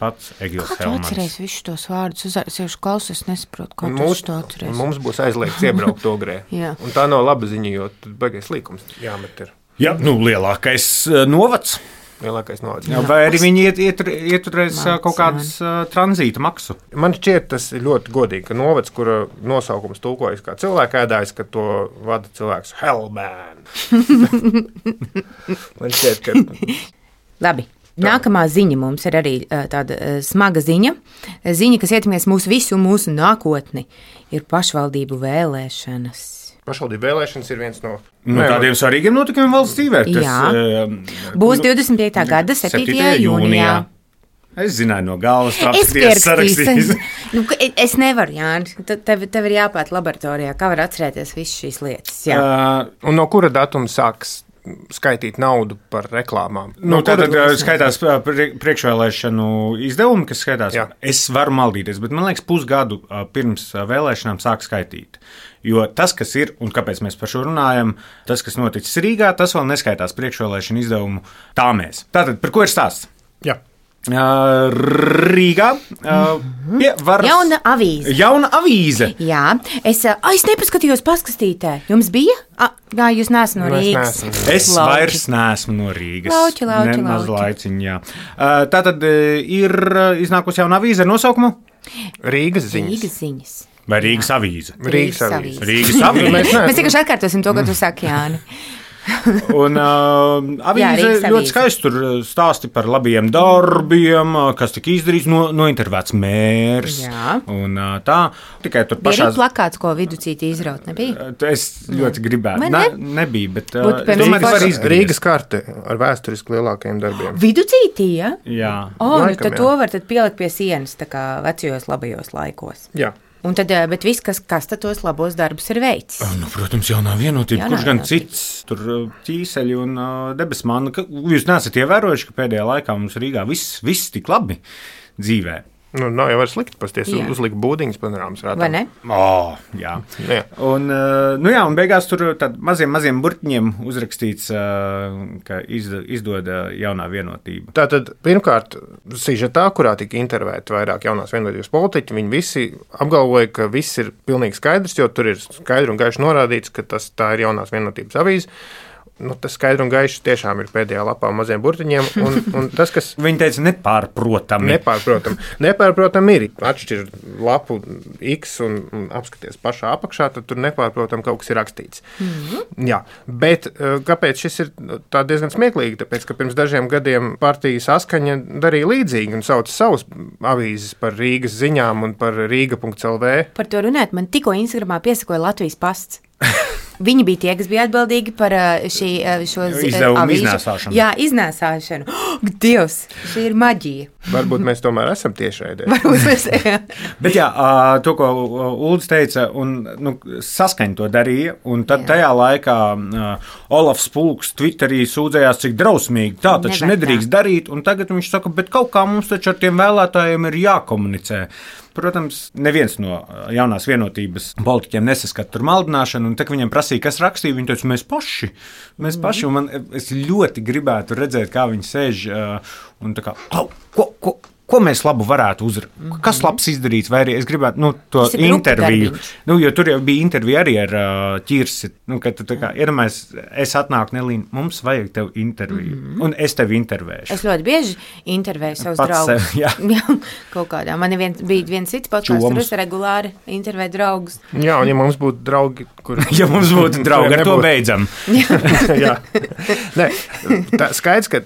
pats Egils Helmans. Kā tu atceries visus tos vārdus? Es klausos, es nesaprotu, kā tu to atceries. Mums būs aizliegts iebraukt Ogrē. Un tā nav laba ziņa, jo baigais līkums jāmet ir. Jā, lielākais novads. Vai arī viņi ieturēs kaut kādas tranzīta maksu? Man šķiet, tas ir ļoti godīgi, ka novads, kura nosaukums tulkojas kā cilvēka ēdājs, ka to vada cilvēks Hellman. Man šķiet, ka... Labi. Nākamā ziņa mums ir arī tāda smaga ziņa. Ziņa, kas ietekmēs mūsu visu un mūsu nākotni, ir pašvaldību vēlēšanas. Pašvaldību vēlēšanas ir viens no tādiem svarīgiem notikumiem valsts dzīvē. Būs 25. gada 7. jūnijā. Es zināju no galvas, tāpēc sarakstījis. Es nevaru, Jāni. Tev ir jāpēt laboratorijā, kā var atcerēties visas šīs lietas. Un no kura datuma sāks skaitīt naudu par reklāmām? Tātad skaitās priekšvēlēšanu izdevumi, kas skaitās. Jā. Es varu maldīties, bet man liekas, pusgadu pirms vēlēšanām sāk skaitīt. Jo tas, kas ir un kāpēc mēs par šo runājam, tas, kas noticis Rīgā, tas vēl neskaitās priekšvēlēšanu izdevumu tāmēs. Tātad, par ko ir stāsts? Jā. Rīgā pie varas. Jauna avīze. Jā, es nepaskatījos paskastītē. Jums bija? Jā, jūs neesat no Rīgas. Es vairs neesmu no Rīgas. Nemaz laiciņ, jā. Tātad ir iznākusi jauna avīze ar nosaukumu? Rīgas ziņas. Vai Rīgas avīze? Rīgas avīze. Mēs vienkārši atkārtosim to, ko tu saki, Jāni. Un avīze ļoti skaisti tur stāsti par labiem darbiem, kas tika izdarīts, nointervēts mērs. Un tā, tikai tur pašā... Bija plakāts, ko Viducīti izraut, nebija? Es ļoti gribētu. Nebija, bet... Rīgas karte ar vēsturiski lielākajiem darbiem. Viducīti, ja? Jā. Tad to var pielikt pie sienas, tā kā vecajos labajos laikos. Jā. Un tad, bet viss, kas tos labos darbus ir veicis. Protams, jaunā vienotība, kurš gan cits, tur ķīseļi un debesmāna. Jūs neesat ievērojuši, ka pēdējā laikā mums Rīgā viss tik labi dzīvē. Nav jau var slikti pasties, uzlikt būdiņas panorāmas rātā. Vai ne? Jā. Un beigās tur tad maziem burtiņiem uzrakstīts, ka izdod jaunā vienotība. Tātad, pirmkārt, sižetā, kurā tika intervēti vairāk jaunās vienotības politiķi, viņi visi apgalvoja, ka viss ir pilnīgi skaidrs, jo tur ir skaidri un gaiši norādīts, ka tā ir jaunās vienotības avīze. Tas skaidri un gaiši tiešām ir pēdējā lapā maziem burtiņiem. Un tas, kas... Viņi teica nepārprotami. Nepārprotami ir. Atšķir lapu X un apskaties pašā apakšā, tad tur nepārprotami kaut kas ir rakstīts. Jā, bet kāpēc šis ir tā diezgan smieklīgi? Tāpēc, ka pirms dažiem gadiem partija Saskaņa darīja līdzīgi un sauca savus avīzes par Rīgas ziņām un par Rīga.lv. Par to runāt, man tikko Instagramā piesakoja Latvijas pasts. Viņi bija tie, kas bija atbildīgi par šo izdevumu iznēsāšanu. Jā, iznēsāšanu. Dievs, šī ir maģija. Varbūt mēs tomēr esam tiešraidē. Bet jā, to, ko Uldis teica, un Saskaņa to darīja, un tad tajā laikā Olafs Pulks Twitterī sūdzējās, cik drausmīgi tā taču nedrīkst darīt, un tagad viņš saka, bet kaut kā mums taču ar tiem vēlētājiem ir jākomunicē. Protams, neviens no jaunās vienotības politiķiem nesaskat tur maldināšanu, un tā, ka viņiem prasīja, kas rakstīja, viņi teica, mēs paši, un es ļoti gribētu redzēt, kā viņi sēž, un tā kā, ko mēs labu varētu uzrakstīt, kas labs izdarīts, vai arī es gribētu, to interviju, jo tur jau bija intervija arī ar Ķirsi, kad tu tā kā, iedomājies, es atnāku Nelīna, mums vajag tev interviju, un es tevi intervēšu. Es ļoti bieži intervēju savus draugus. Jā, kaut kādā. Man bija viens cits podcasts, tur es regulāri intervēju draugus. Jā, un ja mums būtu draugi, ja mums būtu draugi, ar to beidzam. Jā. Nē, skaidrs, ka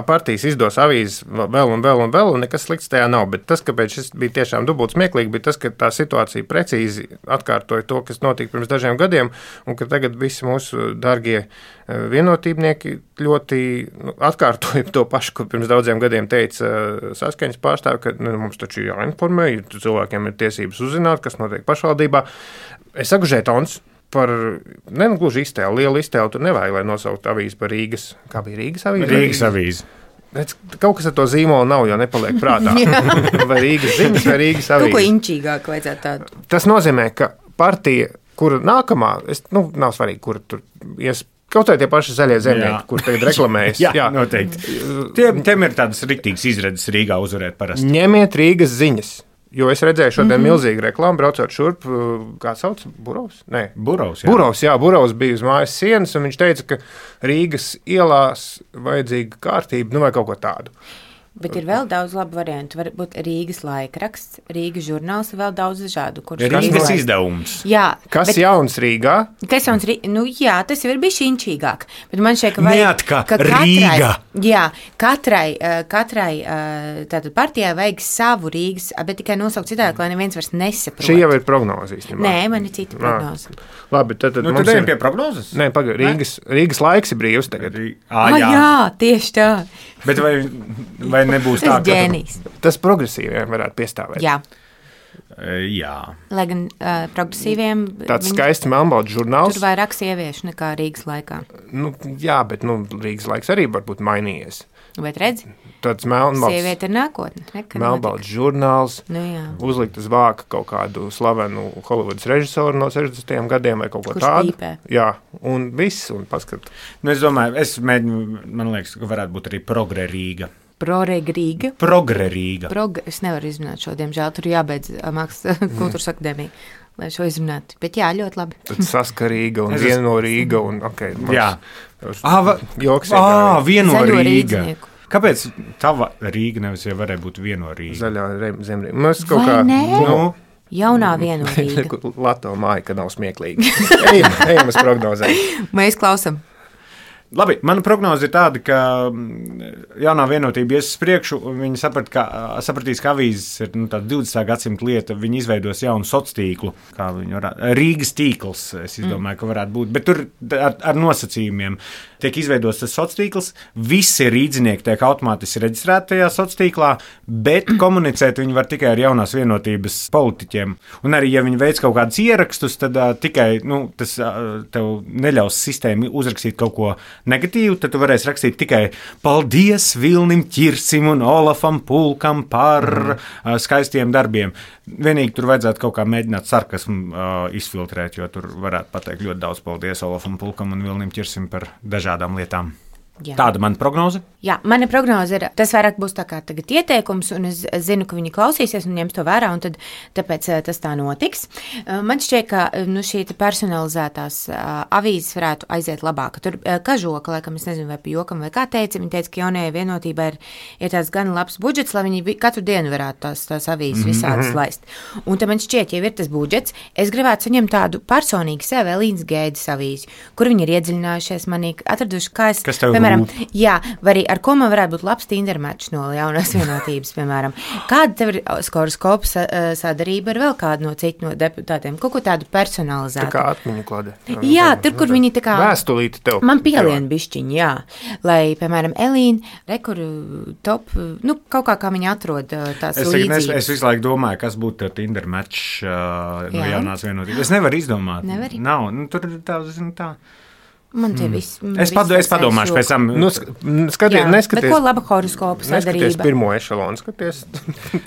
partijas izdos avīzes vēl, un nekas slikts tajā nav, bet tas, kāpēc šis bija tiešām dubult smieklīgi, bija tas, ka tā situācija precīzi atkārtoja to, kas notika pirms dažiem gadiem, un ka tagad visi mūsu dargie vienotībnieki ļoti atkārtoja to pašu, ko pirms daudziem gadiem teica Saskaņas pārstāvi, ka mums taču jāinformē, ja cilvēkiem ir tiesības uzzināt, kas notiek pašvaldībā. Es saku žetons par, gluži iztēlu, lielu iztēlu, tur nevajag, lai nosaukt avīzi par Rīgas, kā bija Rīgas avīze? Rīgas avīze. Kaut kas ar to zīmolu nav, jo nepaliek prātā. Vai Rīgas ziņas, vai Rīgas avīze. Kaut ko inčīgāk vajadzētu tādu. Tas nozīmē, ka partija, kura nākamā, nav svarīgi, kur tur ies, kaut vai tie paši zaļie zemnieki, kur tagad reklamējas. Jā, noteikti. Tiem ir tādas riktīgas izredzes Rīgā uzvarēt parasti. Ņemiet Rīgas ziņas. Jo es redzēju šodien milzīgu reklāmu, braucot šurp, kā sauc, Burovs? Nē, Burovs bija uz mājas sienas, un viņš teica, ka Rīgas ielās vajadzīga kārtība, vai kaut ko tādu. Bet ir vēl daudz labu variantu. Varbūt Rīgas laikraksts, Rīgas žurnāls, vēl daudz dažādu. Rīgas izdevums. Jā. Kas jauns Rīgā? Kas jauns Rīgā? Jā, tas jau ir bijis inčīgāk. Bet man šeit, ka vajag, ka Rīga. Jā, katrai tātad partijai vajag savu Rīgas, bet tikai nosaukt citādi, lai neviens vairs nesaprot. Šī jau ir prognoze īstenībā. Nē, man ir cita prognoze. Labi, tad mums ir pie prognozes? Nē, Rīgas laiks ir brīvs tagad. Jā, tieši tā. Bet vai nebūs tā, ka tas progresīviem varētu piestāvēt? Jā. Jā. Lai gan progresīviem tāds skaists melnbalts žurnāls. Tur vairāk sieviešu nekā Rīgas laikā. Jā, bet Rīgas laiks arī varbūt mainījies. Bet redzi? Tāds melnbalts. Sieviete ir nākotne. Melnbalts žurnāls. Uzlikt uz vāka kaut kādu slavenu Holivudas režisoru no 60. gadiem vai kaut ko tādu. Kurš pīpē. Jā, un viss, un paskat. Es domāju, man liekas, ka varētu būt arī Progre Rīga. Progre Rīga. Es nevaru izrunāt šo, diemžēl. Tur jābeidz Mākslas kultūras akadēmija, lai šo izrunātu. Bet jā, ļoti labi. Tad Saskarīga un viena no Rīga. Un, jā. Joks. Vieno Rīga. Kāpēc tava Rīga nevis jau varēja būt vieno Rīga? Zaļā zemrīga. Mēs kaut kā... Jaunā vieno Rīga. Lato māja, ka nav smieklīgi. Ejam uz prognozēm. Mēs klausam. Labi, mana prognoze ir tāda, ka jaunā vienotība ies uz priekšu. Viņi sapratīs, ka avīzes ir tāda 20. gadsimta lieta. Viņi izveidos jaunu sociālo tīklu, kā Rīgas tīkls. Es domāju, ka varētu būt. Bet tur ar nosacījumiem tiek izveidots tas sociāls tīkls. Visi rīdzinieki tiek automātiski reģistrēti tajā sociālā tīklā, bet komunicēt viņi var tikai ar jaunās vienotības politiķiem. Un arī, ja viņi veic kaut kādus ierakstus, tad tikai tas tev neļaus sistēma uzrakstīt kaut ko negatīvu, tad tu varēsi rakstīt tikai paldies Vilnim Ķirsim un Olafam Pulkam par skaistiem darbiem. Vienīgi tur vajadzētu kaut kā mēģināt sarkasmu izfiltrēt, jo tur varētu pateikt ļoti daudz paldies Olafam Pulkam un Vilnim Ķirsim par dažādām lietām. Jā. Tāda mana prognoze? Jā, mana prognoze ir, tas vairāk būs tā kā tagad ieteikums, un es zinu, ka viņi klausīsies un ņems to vērā, un tāpēc tas tā notiks. Man šķiet, ka šī personalizētās avīzes varētu aiziet labāk. Tur Kažoka, laikam, es nezinu, vai pa jokam vai kā teica, viņa teica, ka jaunajai vienotībai ir tāds gan labs budžets, lai viņi katru dienu varētu tās avīzes visādas laist. Un tad man šķiet, ja ir tas budžets, es gribētu saņemt tādu personīgi sev Elīnas Gēdes avīzi, kur viņi ir iedziļinājušies manī, atraduši, kā es, jā, vai arī ar ko man varētu būt labs Tinder match no jaunās vienotības, piemēram. Kāda tev ir horoskopa sadarība ar vēl kādu no citu no deputātiem? Kaut ko tādu personalizētu. Tā kā atmiņu klade. Jā, tur, kur viņi tā kā... Vēstulīti tev. Man pielien bišķiņi, jā. Lai, piemēram, Elīna, rekur top, kaut kā viņi atrod tās līdzības. Es visu laiku domāju, kas būtu Tinder match no jaunās vienotības. Es nevaru izdomāt. Nevari? Nav, tur tā, tā. Man tie viss. Es padomāšu pēc tam. Neskaties. Bet ko laba horoskopa sadarība? Neskaties pirmo ešalonu, skaties.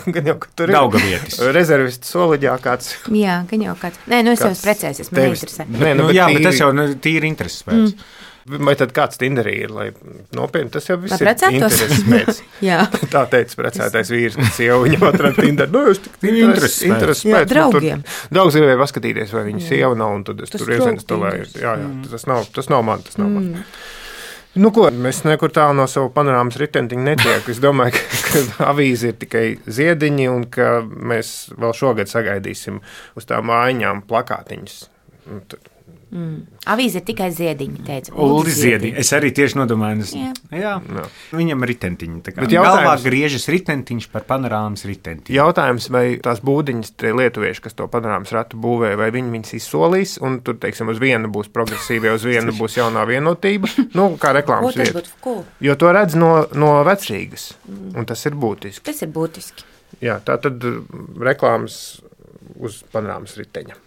Gan jau, ka tur ir Daugavietis. Rezervists soliģā kāds. Jā, gan jau kāds. Nē, es jau precēsies, man neinteresē. Bet tas jau tīri intereses pēc. Vai tad kāds Tinderī ir, lai nopietni, tas jau viss ir intereses pēc. Tā teica precētais vīrs, ka sieva viņam atrada Tinderī. Es tik intereses pēc. Draugiem. Daudz gribēja paskatīties, vai viņa sieva nav, un tad es tur iesinstalēju. Jā, tas nav man. Mēs nekur tālu no savu panorāmas ritentiņu netiek. Es domāju, ka avīze ir tikai ziediņi, un ka mēs vēl šogad sagaidīsim uz tām mājiņām plakātiņus. Avīze ir tikai ziediņi, teica. Uldis ziediņi. Es arī tieši nodomāju. Jā. Viņam ritentiņi. Galvā griežas ritentiņš par panorāmas ritentiņu. Jautājums, vai tās būdiņas, tie lietuvieši, kas to panorāmas ratu būvē, vai viņas izsolīs, un tur, teiksim, uz vienu būs progresīvie, uz vienu būs jaunā vienotība, kā reklāmas vieta. Jo to redz no Vecrīgas, un tas ir būtiski. Tas ir būtiski. Jā, tā tad reklāmas uz panorāmas riteņa.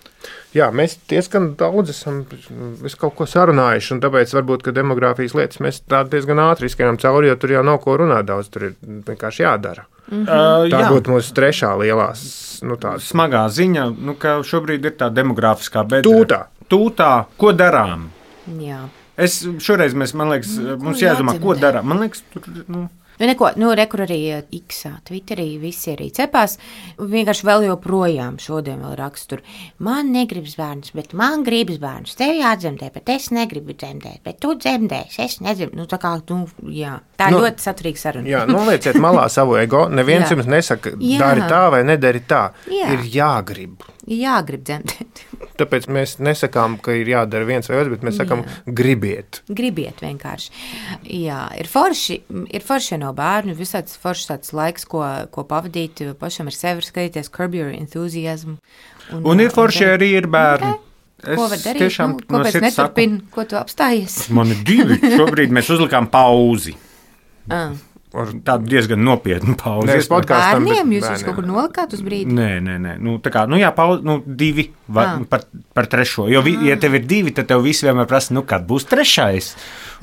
Jā, mēs diezgan daudz esam kaut ko sarunājuši, un tāpēc varbūt, ka demogrāfijas lietas mēs tā diezgan ātri izskrienam cauri, jo tur jau nav ko runāt daudz, tur ir vienkārši jādara. Tā būtu mūsu trešā lielās, smagā ziņa, ka šobrīd ir tā demogrāfiskā bedra. Tūtā, ko darām? Jā. Šoreiz man liekas, mums jādomā, ko darām. Man liekas, tur, rekur arī X-ā, Twitterī visi arī cepās. Vienkārši vēl joprojām šodien vēl rakstu tur. Man negribas bērnus, bet man gribas bērnus. Tev jādzemdē, bet es negribu dzemdēt. Bet tu dzemdēsi, es negribu. Tā ļoti saturīga saruna. Jā, nolieciet malā savu ego. Neviens jums nesaka, dari tā vai nedari tā. Ir jāgrib. Jāgrib dzemdēt. Tāpēc mēs nesakām, ka ir jādara viens vai otrs, bet mēs sakām, gribiet. Gribiet vienkārši. Jā, ir forši no bērnu, visāds foršs tāds laiks, ko pavadīt, pašam ar sevi skatīties, Curb Your Enthusiasm. Un ir forši arī ir bērni. Ko var darīt? Tiešām, ko pēc neturpina, ko tu apstājies? Man ir 2. Šobrīd mēs uzlikām pauzi. Tādu diezgan nopietnu pauzi. Bērniem jūs kaut kur nolikāt uz brīdi? Nē. Pauzi, 2 par 3. Jo, ja tev ir 2, tad tev visi vienmēr prasa, kad būs 3.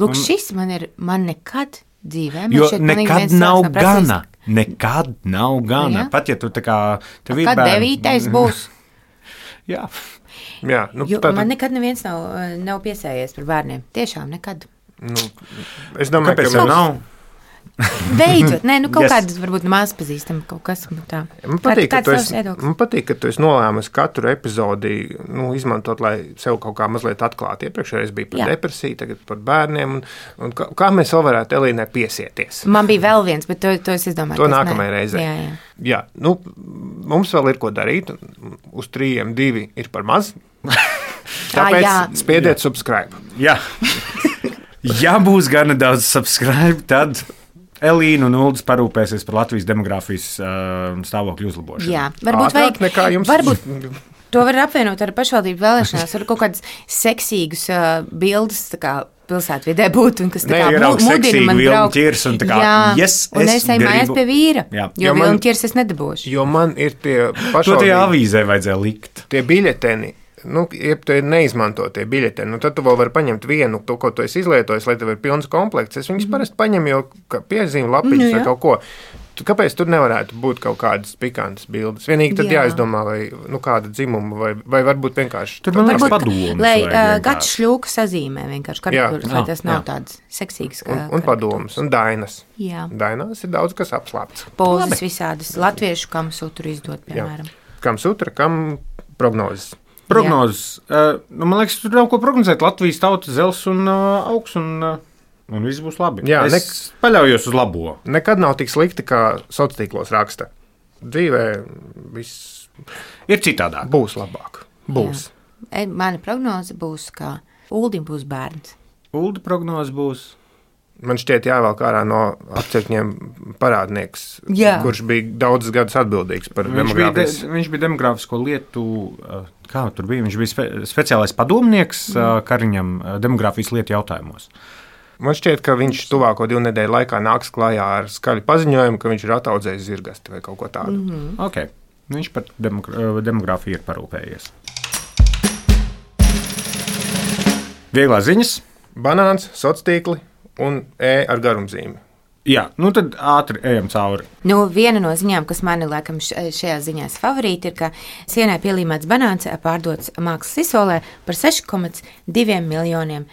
Lūk, šis man nekad dzīvē. Jo nekad nav gana. Nekad nav gana. Pat ja tu tā kā... Kad 9. būs? Jā. Man nekad neviens nav piesējies par bērniem. Tiešām nekad. Es domāju, kāpēc jau nav? Beidzot, kaut kādas varbūt maz pazīstam kaut kas tā. Man patīk, ka tu esi nolēmusi katru epizodi izmantot, lai sev kaut kā mazliet atklātu. Iepriekšējais bija par depresiju, tagad par bērniem. Un kā mēs vēl varētu Elīnai piesieties? Man bija vēl viens, bet to es izdomāju. To nākamajai reizei. Jā, mums vēl ir ko darīt. Uz 3, 2 ir par maz. Tāpēc spiediet subscribe. Jā. Ja būs gana daudz subscribe, tad Elīna un Uldis parūpēsies par Latvijas demogrāfijas stāvokļu uzlabošanu. Jā, varbūt vajag. Varbūt to var apvienot ar pašvaldību vēlēšanās, ar kaut kādas seksīgas bildes, tā kā pilsētvidē būtu, un kas tā kā mudina man braukt. Un tā kā, un es eju mājās pie vīra, jo vilnu ķirs es nedabūšu. Jo man ir tie pašvaldību. To tie avīzē vajadzēja likt. Tie biļeteni. Ja tu neizmanto tie biļeteni, tad tu vēl vari paņemt vienu, to, ko tu esi izlietojis, lai tev ir pilns komplekts. Es viņus parasti paņemu jau piezīmu lapiņas vai kaut ko. Kāpēc tur nevarētu būt kaut kādas pikantas bildes? Vienīgi tad jāizdomā, vai kāda dzimuma, vai varbūt vienkārši. Tur man liekas padomus. Lai Gats Šļūka sazīmē vienkārši karikatūras, lai tas nav tāds seksīgs. Un padomus, un dainas. Jā. Dainās ir daudz kas apslāpts. Pozas visādas. Latviešu kam sutru izdot, piemēram. Kam sutra, kam prognozes. Prognozes. Man liekas, tur nav ko prognozēt. Latvijas tauta zels un augs un viss būs labi. Jā, es paļaujos uz labo. Nekad nav tik slikti, kā sociālos tīklos raksta. Dzīvē viss ir citādāk. Būs labāk. Būs. Jā. Mana prognoze būs, ka Uldim būs bērns. Ulda prognoze būs. Man šķiet, jāvelk ārā no apcirkņiem parādnieks, kurš bija daudzus gadus atbildīgs par demogrāfiju. Viņš bija demogrāfisko lietu, kā tur bija, viņš bija speciālais padomnieks Kariņam demogrāfijas lietu jautājumos. Man šķiet, ka viņš tuvāko 2 nedēļu laikā nāks klajā ar skaļu paziņojumu, ka viņš ir ataudzējis zirgasti vai kaut ko tādu. Okay. Viņš par demogrāfiju ir parūpējies. Vieglās ziņas. Banāns, sociālos tīkli un ar garumzīmi. Jā, tad ātri ejam cauri. Viena no ziņām, kas mani laikam šajā ziņās favorīti, ir, ka sienai pielīmēts banāns pārdots mākslas izsolē par $6,2 miljoniem.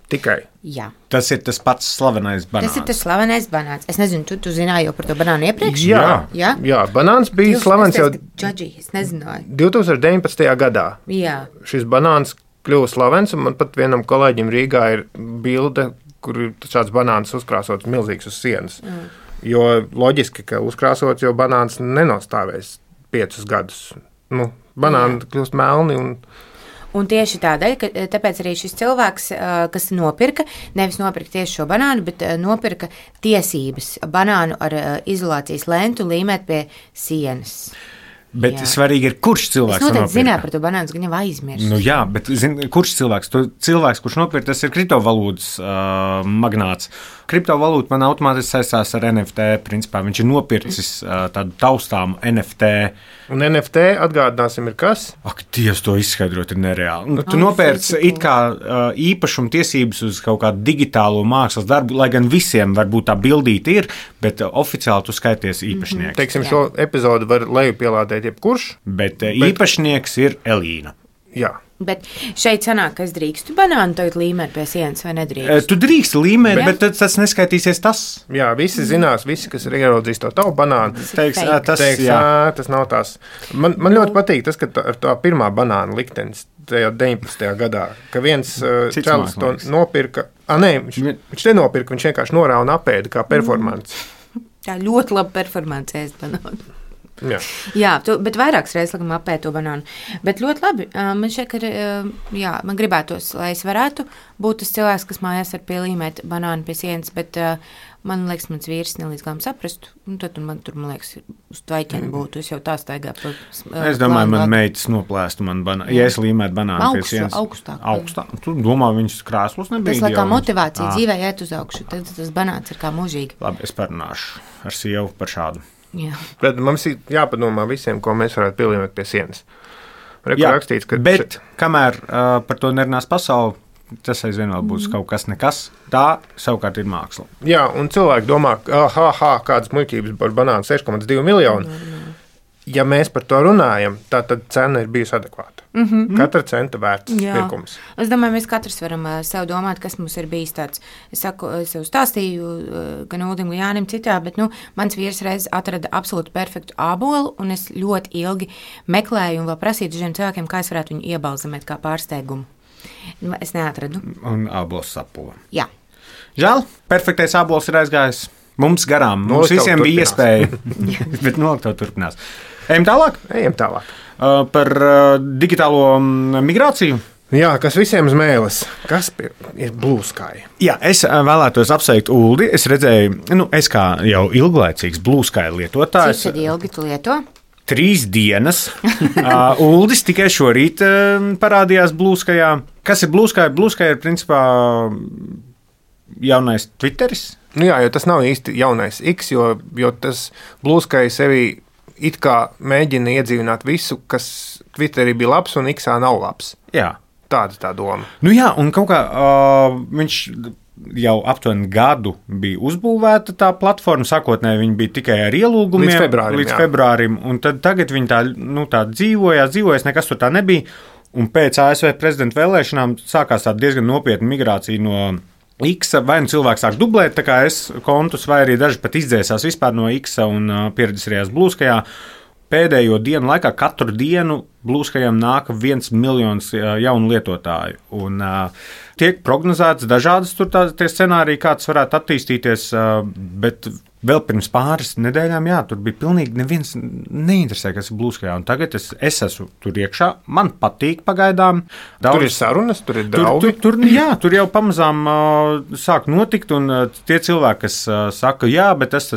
Tikai. Jā. Tas ir tas pats slavenais banāns. Tas ir tas slavenais banāns. Es nezinu, tu zināji jau par to banānu iepriekš? Jā, banāns bija slavens jau es nezināju. 2019. gadā. Jā. Šis banāns kļuva slavens, un man pat vienam kolēģim Rīgā ir bilde, kur ir šāds banāns uzkrāsots milzīgs uz sienas. Jo loģiski, ka uzkrāsots, jo banāns nenostāvēs 5 gadus. Banāni kļūst melni un tieši tādēļ, ka tāpēc arī šis cilvēks, kas nopirka, nevis nopirka tieši šo banānu, bet nopirka tiesības banānu ar izolācijas lentu līmēt pie sienas. Bet svarīgi ir, kurš cilvēks to nopirka. Es noteikti zināju par to banānu, ka viņam aizmirst. Jā, bet kurš cilvēks? Cilvēks, kurš nopirka, tas ir kriptovalūtas magnāts. Kriptovalūta man automātiski saistās ar NFT. Principā viņš ir nopircis tādu taustāmu NFT. Un NFT, atgādināsim, ir kas? Ak, Dievs, to izskaidrot ir nereāli. Tu nopērci it kā īpašuma tiesības uz kaut kādu digitālo mākslas darbu, lai gan visiem varbūt tā bildīte ir, bet oficiāli tu skaities īpašnieks. Teiksim, šo epizodu var lejupielādēt jebkurš. Bet īpašnieks ir Elīna. Jā. Bet šeit sanāk, ka es drīkstu banānu tagad līmēt pie sienas vai nedrīkstu? Tu drīksti līmēt, bet tas neskaitīsies tas. Jā, visi zinās, visi, kas ir ieraudzījis to tavu banānu, teiks, tas nav tas. Man ļoti patīk tas, ka ar tā pirmā banāna liktenis tajā 19. gadā, ka viens čalis to nopirka. Viņš nenopirka, viņš vienkārši norāva un apēda kā performance. Tā ļoti laba performance ēst banānu. Jā, bet vairākas reizes laikam apēd to banānu. Bet ļoti labi. Man šķiet, ka man gribētos, lai es varētu būt tas cilvēks, kas mājās ar pielīmēt banānu pie sienas, bet man liekas, mans vīrs nelīdz galam saprastu. Tad man tur, man liekas, uz tvaiķeni būtu. Es jau tā staigā. Es domāju, man meitas noplēstu man banānu. Ja es līmētu banānu pie sienas. Augstāk. Tu domā, viņas krāslos nebija. Tas kā motivācija dzīvē iet uz augšu. Tad tas banāns ir kā mūžīgi. Labi, es parunāšu ar sievu par šādu. Bet mums ir jāpadomā visiem, ko mēs varētu pielīmēt pie sienas. Rakstīts, ka bet kamēr par to nerunās pasauli, tas aizvien vēl būs kaut kas nekas. Tā savukārt ir māksla. Jā, un cilvēki domā, kādas muļķības par banānu 6,2 miljonu. Ja mēs par to runājam, tad cena ir bijusi adekvāta. Katra centa vērts pirkums. Es domāju, mēs katrs varam sev domāt, kas mums ir bijis tāds. Es sev stāstīju gan Uldim, gan Jānim citā, bet mans vīrs reiz atrada absolūti perfektu ābolu, un es ļoti ilgi meklēju un vēl prasīju dažiem cilvēkiem, kā es varētu viņu iebalzamēt kā pārsteigumu. Es neatradu. Un ābols sapula. Jā. Žēl, perfektais ābols ir aizgājis. Mums garām. Mums visiem bija iespēja, bet nolikto turpinās. Ejam tālāk? Ejam tālāk. Par digitālo migrāciju. Jā, kas visiem uz mēles? Kas ir Blue Sky? Jā, es vēlētos apsveikt Uldi. Es redzēju, es kā jau ilglaicīgs Blue Sky lietotājs. Cik tad ilgi tu lieto? 3 dienas. Uldis tikai šorīt parādījās Blue Skyjā. Kas ir Blue Sky? Blue Sky ir principā jaunais Twitteris. Jā, jo tas nav īsti jaunais X, jo tas Blue Sky sevi it kā mēģina iedzīvināt visu, kas Twitterī bija labs un Xā nav labs. Jā. Tāda tā doma. Jā, un kaut kā viņš jau aptuveni gadu bija uzbūvēta tā platforma. Sākotnēji viņa bija tikai ar ielūgumiem līdz februārim, un tad tagad viņa tā dzīvojas, nekas tur tā nebija. Un pēc ASV prezidenta vēlēšanām sākās tāda diezgan nopietna migrācija no X, vai nu cilvēks sāk dublēt, tā kā es kontus, vai arī daži pat izdzēsās vispār no X un pieredzējās Blue Skyjā. Pēdējo dienu laikā katru dienu Blue Skyjam nāk 1 miljons jaunu lietotāju. Un tiek prognozēts dažādas tie scenāriji, kā tas varētu attīstīties, bet vēl pirms pāris nedēļām, tur bija pilnīgi neviens neinteresē, kas ir Blue Sky. Un tagad es esmu tur iekšā, man patīk pagaidām. Tur ir sarunas, tur ir draugi. Tur jau pamazām sāk notikt, un tie cilvēki, kas saka, bet tas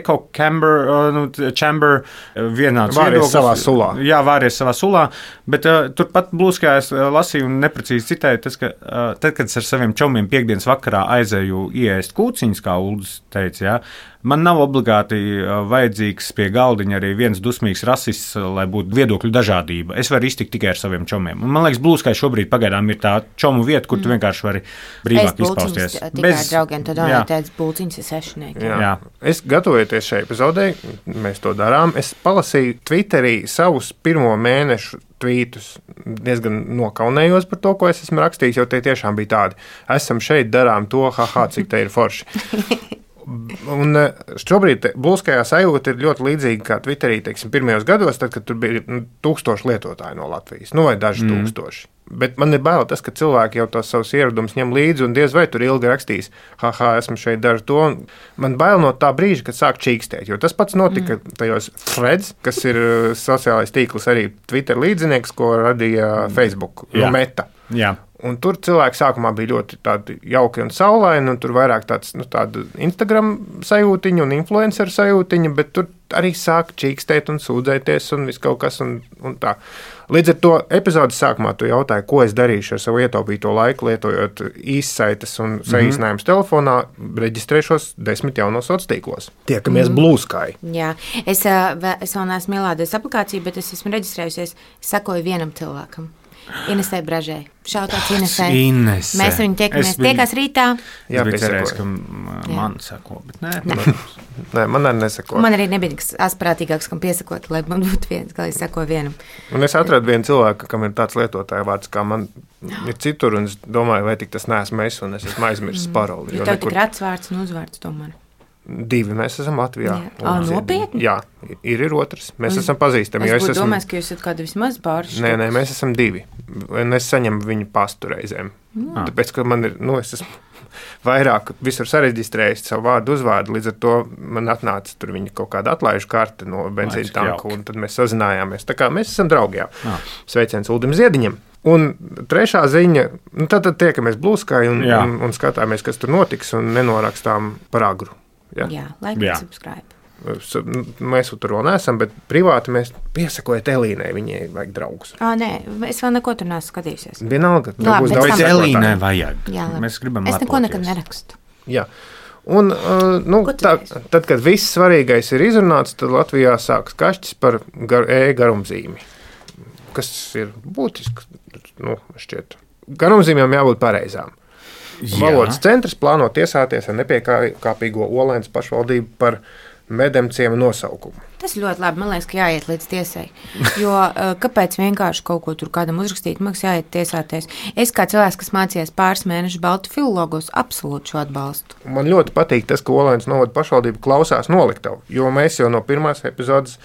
echo chamber vienāds viedoklis. Savā sulā. Jā, vāries savā sulā, bet turpat Blue Sky es lasīju un neprecīzi citēju, tas, ka tad, kad es ar saviem čomiem piekdienas vakarā aizēju ieēst kūciņas, kā Uldis teica, man nav obligāti vajadzīgs pie galdiņa arī viens dusmīgs rasists, lai būtu viedokļu dažādība. Es varu iztikt tikai ar saviem čomiem. Un man liekas, Blue Sky šobrīd pagaidām ir tā čomu vieta, kur tu vienkārši vari brīvāk izpausties. Tikai ar draugiem, tad tāds bulciņas ir sešnieki. Jā. Es gatavojoties šai epizodei, mēs to darām. Es palasīju Twitterī savus pirmo mēnešu tvītus. Diezgan nokaunējos par to, ko es esmu rakstījis, jo tie tiešām bija tādi. Esam šeit, darām to, cik te ir forši. Un šobrīd Blue Skyjā sajūta ir ļoti līdzīga kā Twitterī, pirmajos gados, tad, kad tur bija 1000 lietotāji no Latvijas, vai daži tūkstoši. Bet man ir bail tas, ka cilvēki jau tos savus ieradumus ņem līdzi un diez vai tur ilgi rakstīs, esmu šeit, daru to. Man bail no tā brīža, kad sāk čīkstēt, jo tas pats notika tajos threads, kas ir sociālais tīkls arī Twitter līdzinieks, ko radīja Facebook, Meta. Jā. Un tur cilvēki sākumā bija ļoti jauki un saulaini, un tur vairāk tāda Instagram sajūtiņa un influenceru sajūtiņa, bet tur arī sāk čīkstēt un sūdzēties un viss kaut kas un tā. Līdz ar to epizodes sākumā tu jautāji, ko es darīšu ar savu ietaupīto laiku, lietojot īssaites un saīsinājumus telefonā, reģistrēšos 10 jaunos sociālos tīklos. Tiekamies Blue Sky. Jā, es vēl neesmu ielādējis aplikāciju, bet es esmu reģistrējusies, sakoju vienam cilvēkam. Inesē Bražē. Šautauts Inesē. Inese. Mēs viņu tiekās rītā. Jā, es cerēju, ka man sako, bet nē. Nē, man arī nesako. Man arī nebija nekas asprātīgāks, kam piesakot, lai man būtu viens, kā es sakoju vienam. Un es atradu vienu cilvēku, kam ir tāds lietotāja vārds, kā man ir citur, un es domāju, vai tik tas neesmu es, un es esmu aizmirsis paroli. Jo tev tik rats vārds un uzvārds tomēr. 2 mēs esam Latvijā. Nopietni? Jā, ir otrs. Mēs esam pazīstami. Es būtu domājis, ka jūs esat kādi vismaz pāris. Nē, mēs esam 2. Un es saņemu viņu pastu reizēm. Tāpēc, ka man ir, es esmu vairāk visur sareģistrējis savu vārdu uzvārdu, līdz ar to man atnāca tur viņa kaut kāda atlaižu karte no benzīna tanka, un tad mēs sazinājāmies. Tā kā mēs esam draugi, Sveiciens Uldim Ziediņam. Un trešā ziņa, tad tiekamies Blue Sky un skatāmies, kas tur notiks, un nenorakstām par agru. Jā, like and subscribe. Mēs tur vēl neesam, bet privāti mēs piesakojam Elīnai, viņai vajag draugus. Nē, es vēl neko tur neesmu skatījusies. Vienalga, būs daudz Elīnai vajag. Jā, mēs gribam es neko nekad nerakstu. Jā. Un, tad, kad viss svarīgais ir izrunāts, tad Latvijā sāks kašķis par garumzīmi, kas ir būtisks, šķiet. Garumzīmēm jābūt pareizām. Valodas centrs plāno tiesāties ar nepiekāpīgo Olainas pašvaldību par medemciema nosaukumu. Tas ļoti labi. Man liekas, ka jāiet līdz tiesai. Jo kāpēc vienkārši kaut ko tur kādam uzrakstīt, man liekas, jāiet tiesāties. Es kā cilvēks, kas mācījās pāris mēnešus baltu filologos, absolūti šo atbalstu. Man ļoti patīk tas, ka Olainas novada pašvaldība klausās noliktavu, jo mēs jau no pirmās epizodes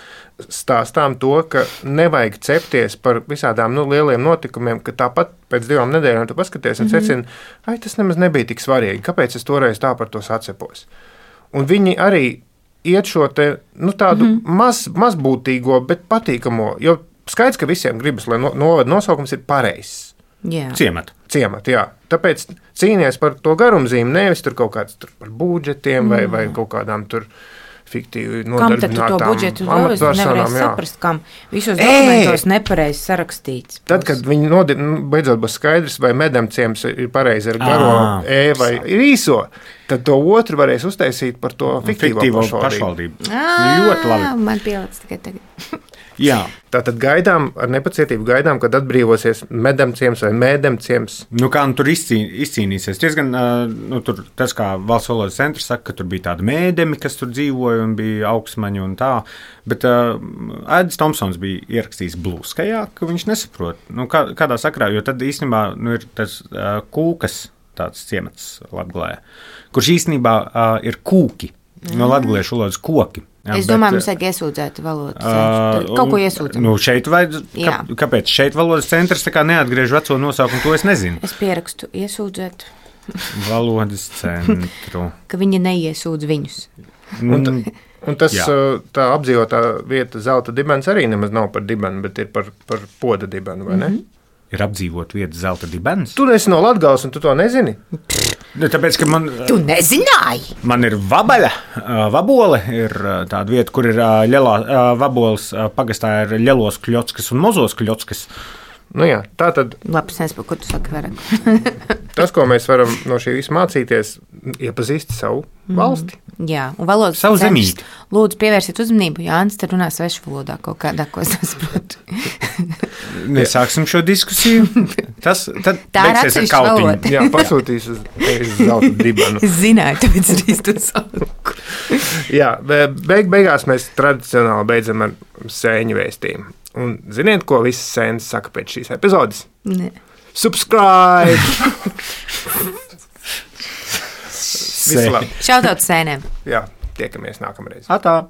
stāstām to, ka nevajag cepties par visādām lieliem notikumiem, ka tāpat pēc 2 nedēļām tu paskaties un secini, tas nemaz nebija tik svarīgi, kāpēc es toreiz tā par to sacepos. Un viņi arī iet šo te, tādu mazbūtīgo, bet patīkamo, jo skaidrs, ka visiem gribas, lai novada nosaukums ir pareizs. Ciematu, jā. Tāpēc cīnies par to garumzīmi, nevis tur kaut kāds tur par budžetiem vai kaut kādām tur fiktīvi nodarbinātām amatpersonām. Saprast, kam visos dokumentos nepareizi sarakstīts. Tad, kad viņi beidzot būs skaidrs, vai medemciems ir pareizi ar garo vai ir īso, tad to otru varēs uztaisīt par to fiktīvo pašvaldību. Ļoti labi. Man pielic tikai tagad. Jā. Tātad ar nepacietību gaidām, kad atbrīvosies medemciems vai mēdemciems. Kā tur izcīnīsies? Diezgan, tur tas, kā Valsts valodas centrs saka, ka tur bija tādi mēdemi, kas tur dzīvoja un bija augsmaņi un tā, bet Aidis Tomsons bija ierakstījis blūskajā, ka viņš nesaprot, kādā sakrā, jo tad īstenībā ir tas Kūkas tāds ciemats Latgalē, kurš īstenībā ir kūki, no latgaliešu valodas koki. Es domāju, mums vajag iesūdzēt valodas centru. Kaut ko iesūdzēt. Šeit kāpēc šeit valodas centrs neatgriež veco nosaukumu, to es nezinu. Es pierakstu iesūdzēt. Valodas centru. Ka viņi neiesūdz viņus. Un tas, tā apdzīvotā vieta Zelta dibens arī nemaz nav par dibenu, bet ir par poda dibenu, vai ne? Ir apdzīvot vieta Zelta dibens? Tu esi no Latgales un tu to nezini? Tāpēc, ka Tu nezināji? Man ir Vabole ir tāda vieta, kur ir Vaboles pagastā ir Ļelos Kļotskas un Mozos Kļotskas. Jā, tā tad. Labs nezinu, ko tu saki vairāk. Tas, ko mēs varam no šī visa mācīties, iepazīst savu valsti. Jā, un valodas savu zemīti. Lūdzu, pievērsiet uzmanību, Jānis te runā svešu valodā kaut kādā, ko es nesaprotu. Nesāksim šo diskusiju. Tad beigsies ar kautiņu. Jā, pasūtīs uz Zelta dibenu. Es zināju, tāpēc arī to sauku. Jā, beigās mēs tradicionāli beidzam ar sēņu vēstījumu. Un ziniet, ko visas sēnes saka pēc šīs epizodes? Ne. Subscribe! Visu labi. Šautauts sēnēm. Jā, tiekamies nākamreiz. Atā!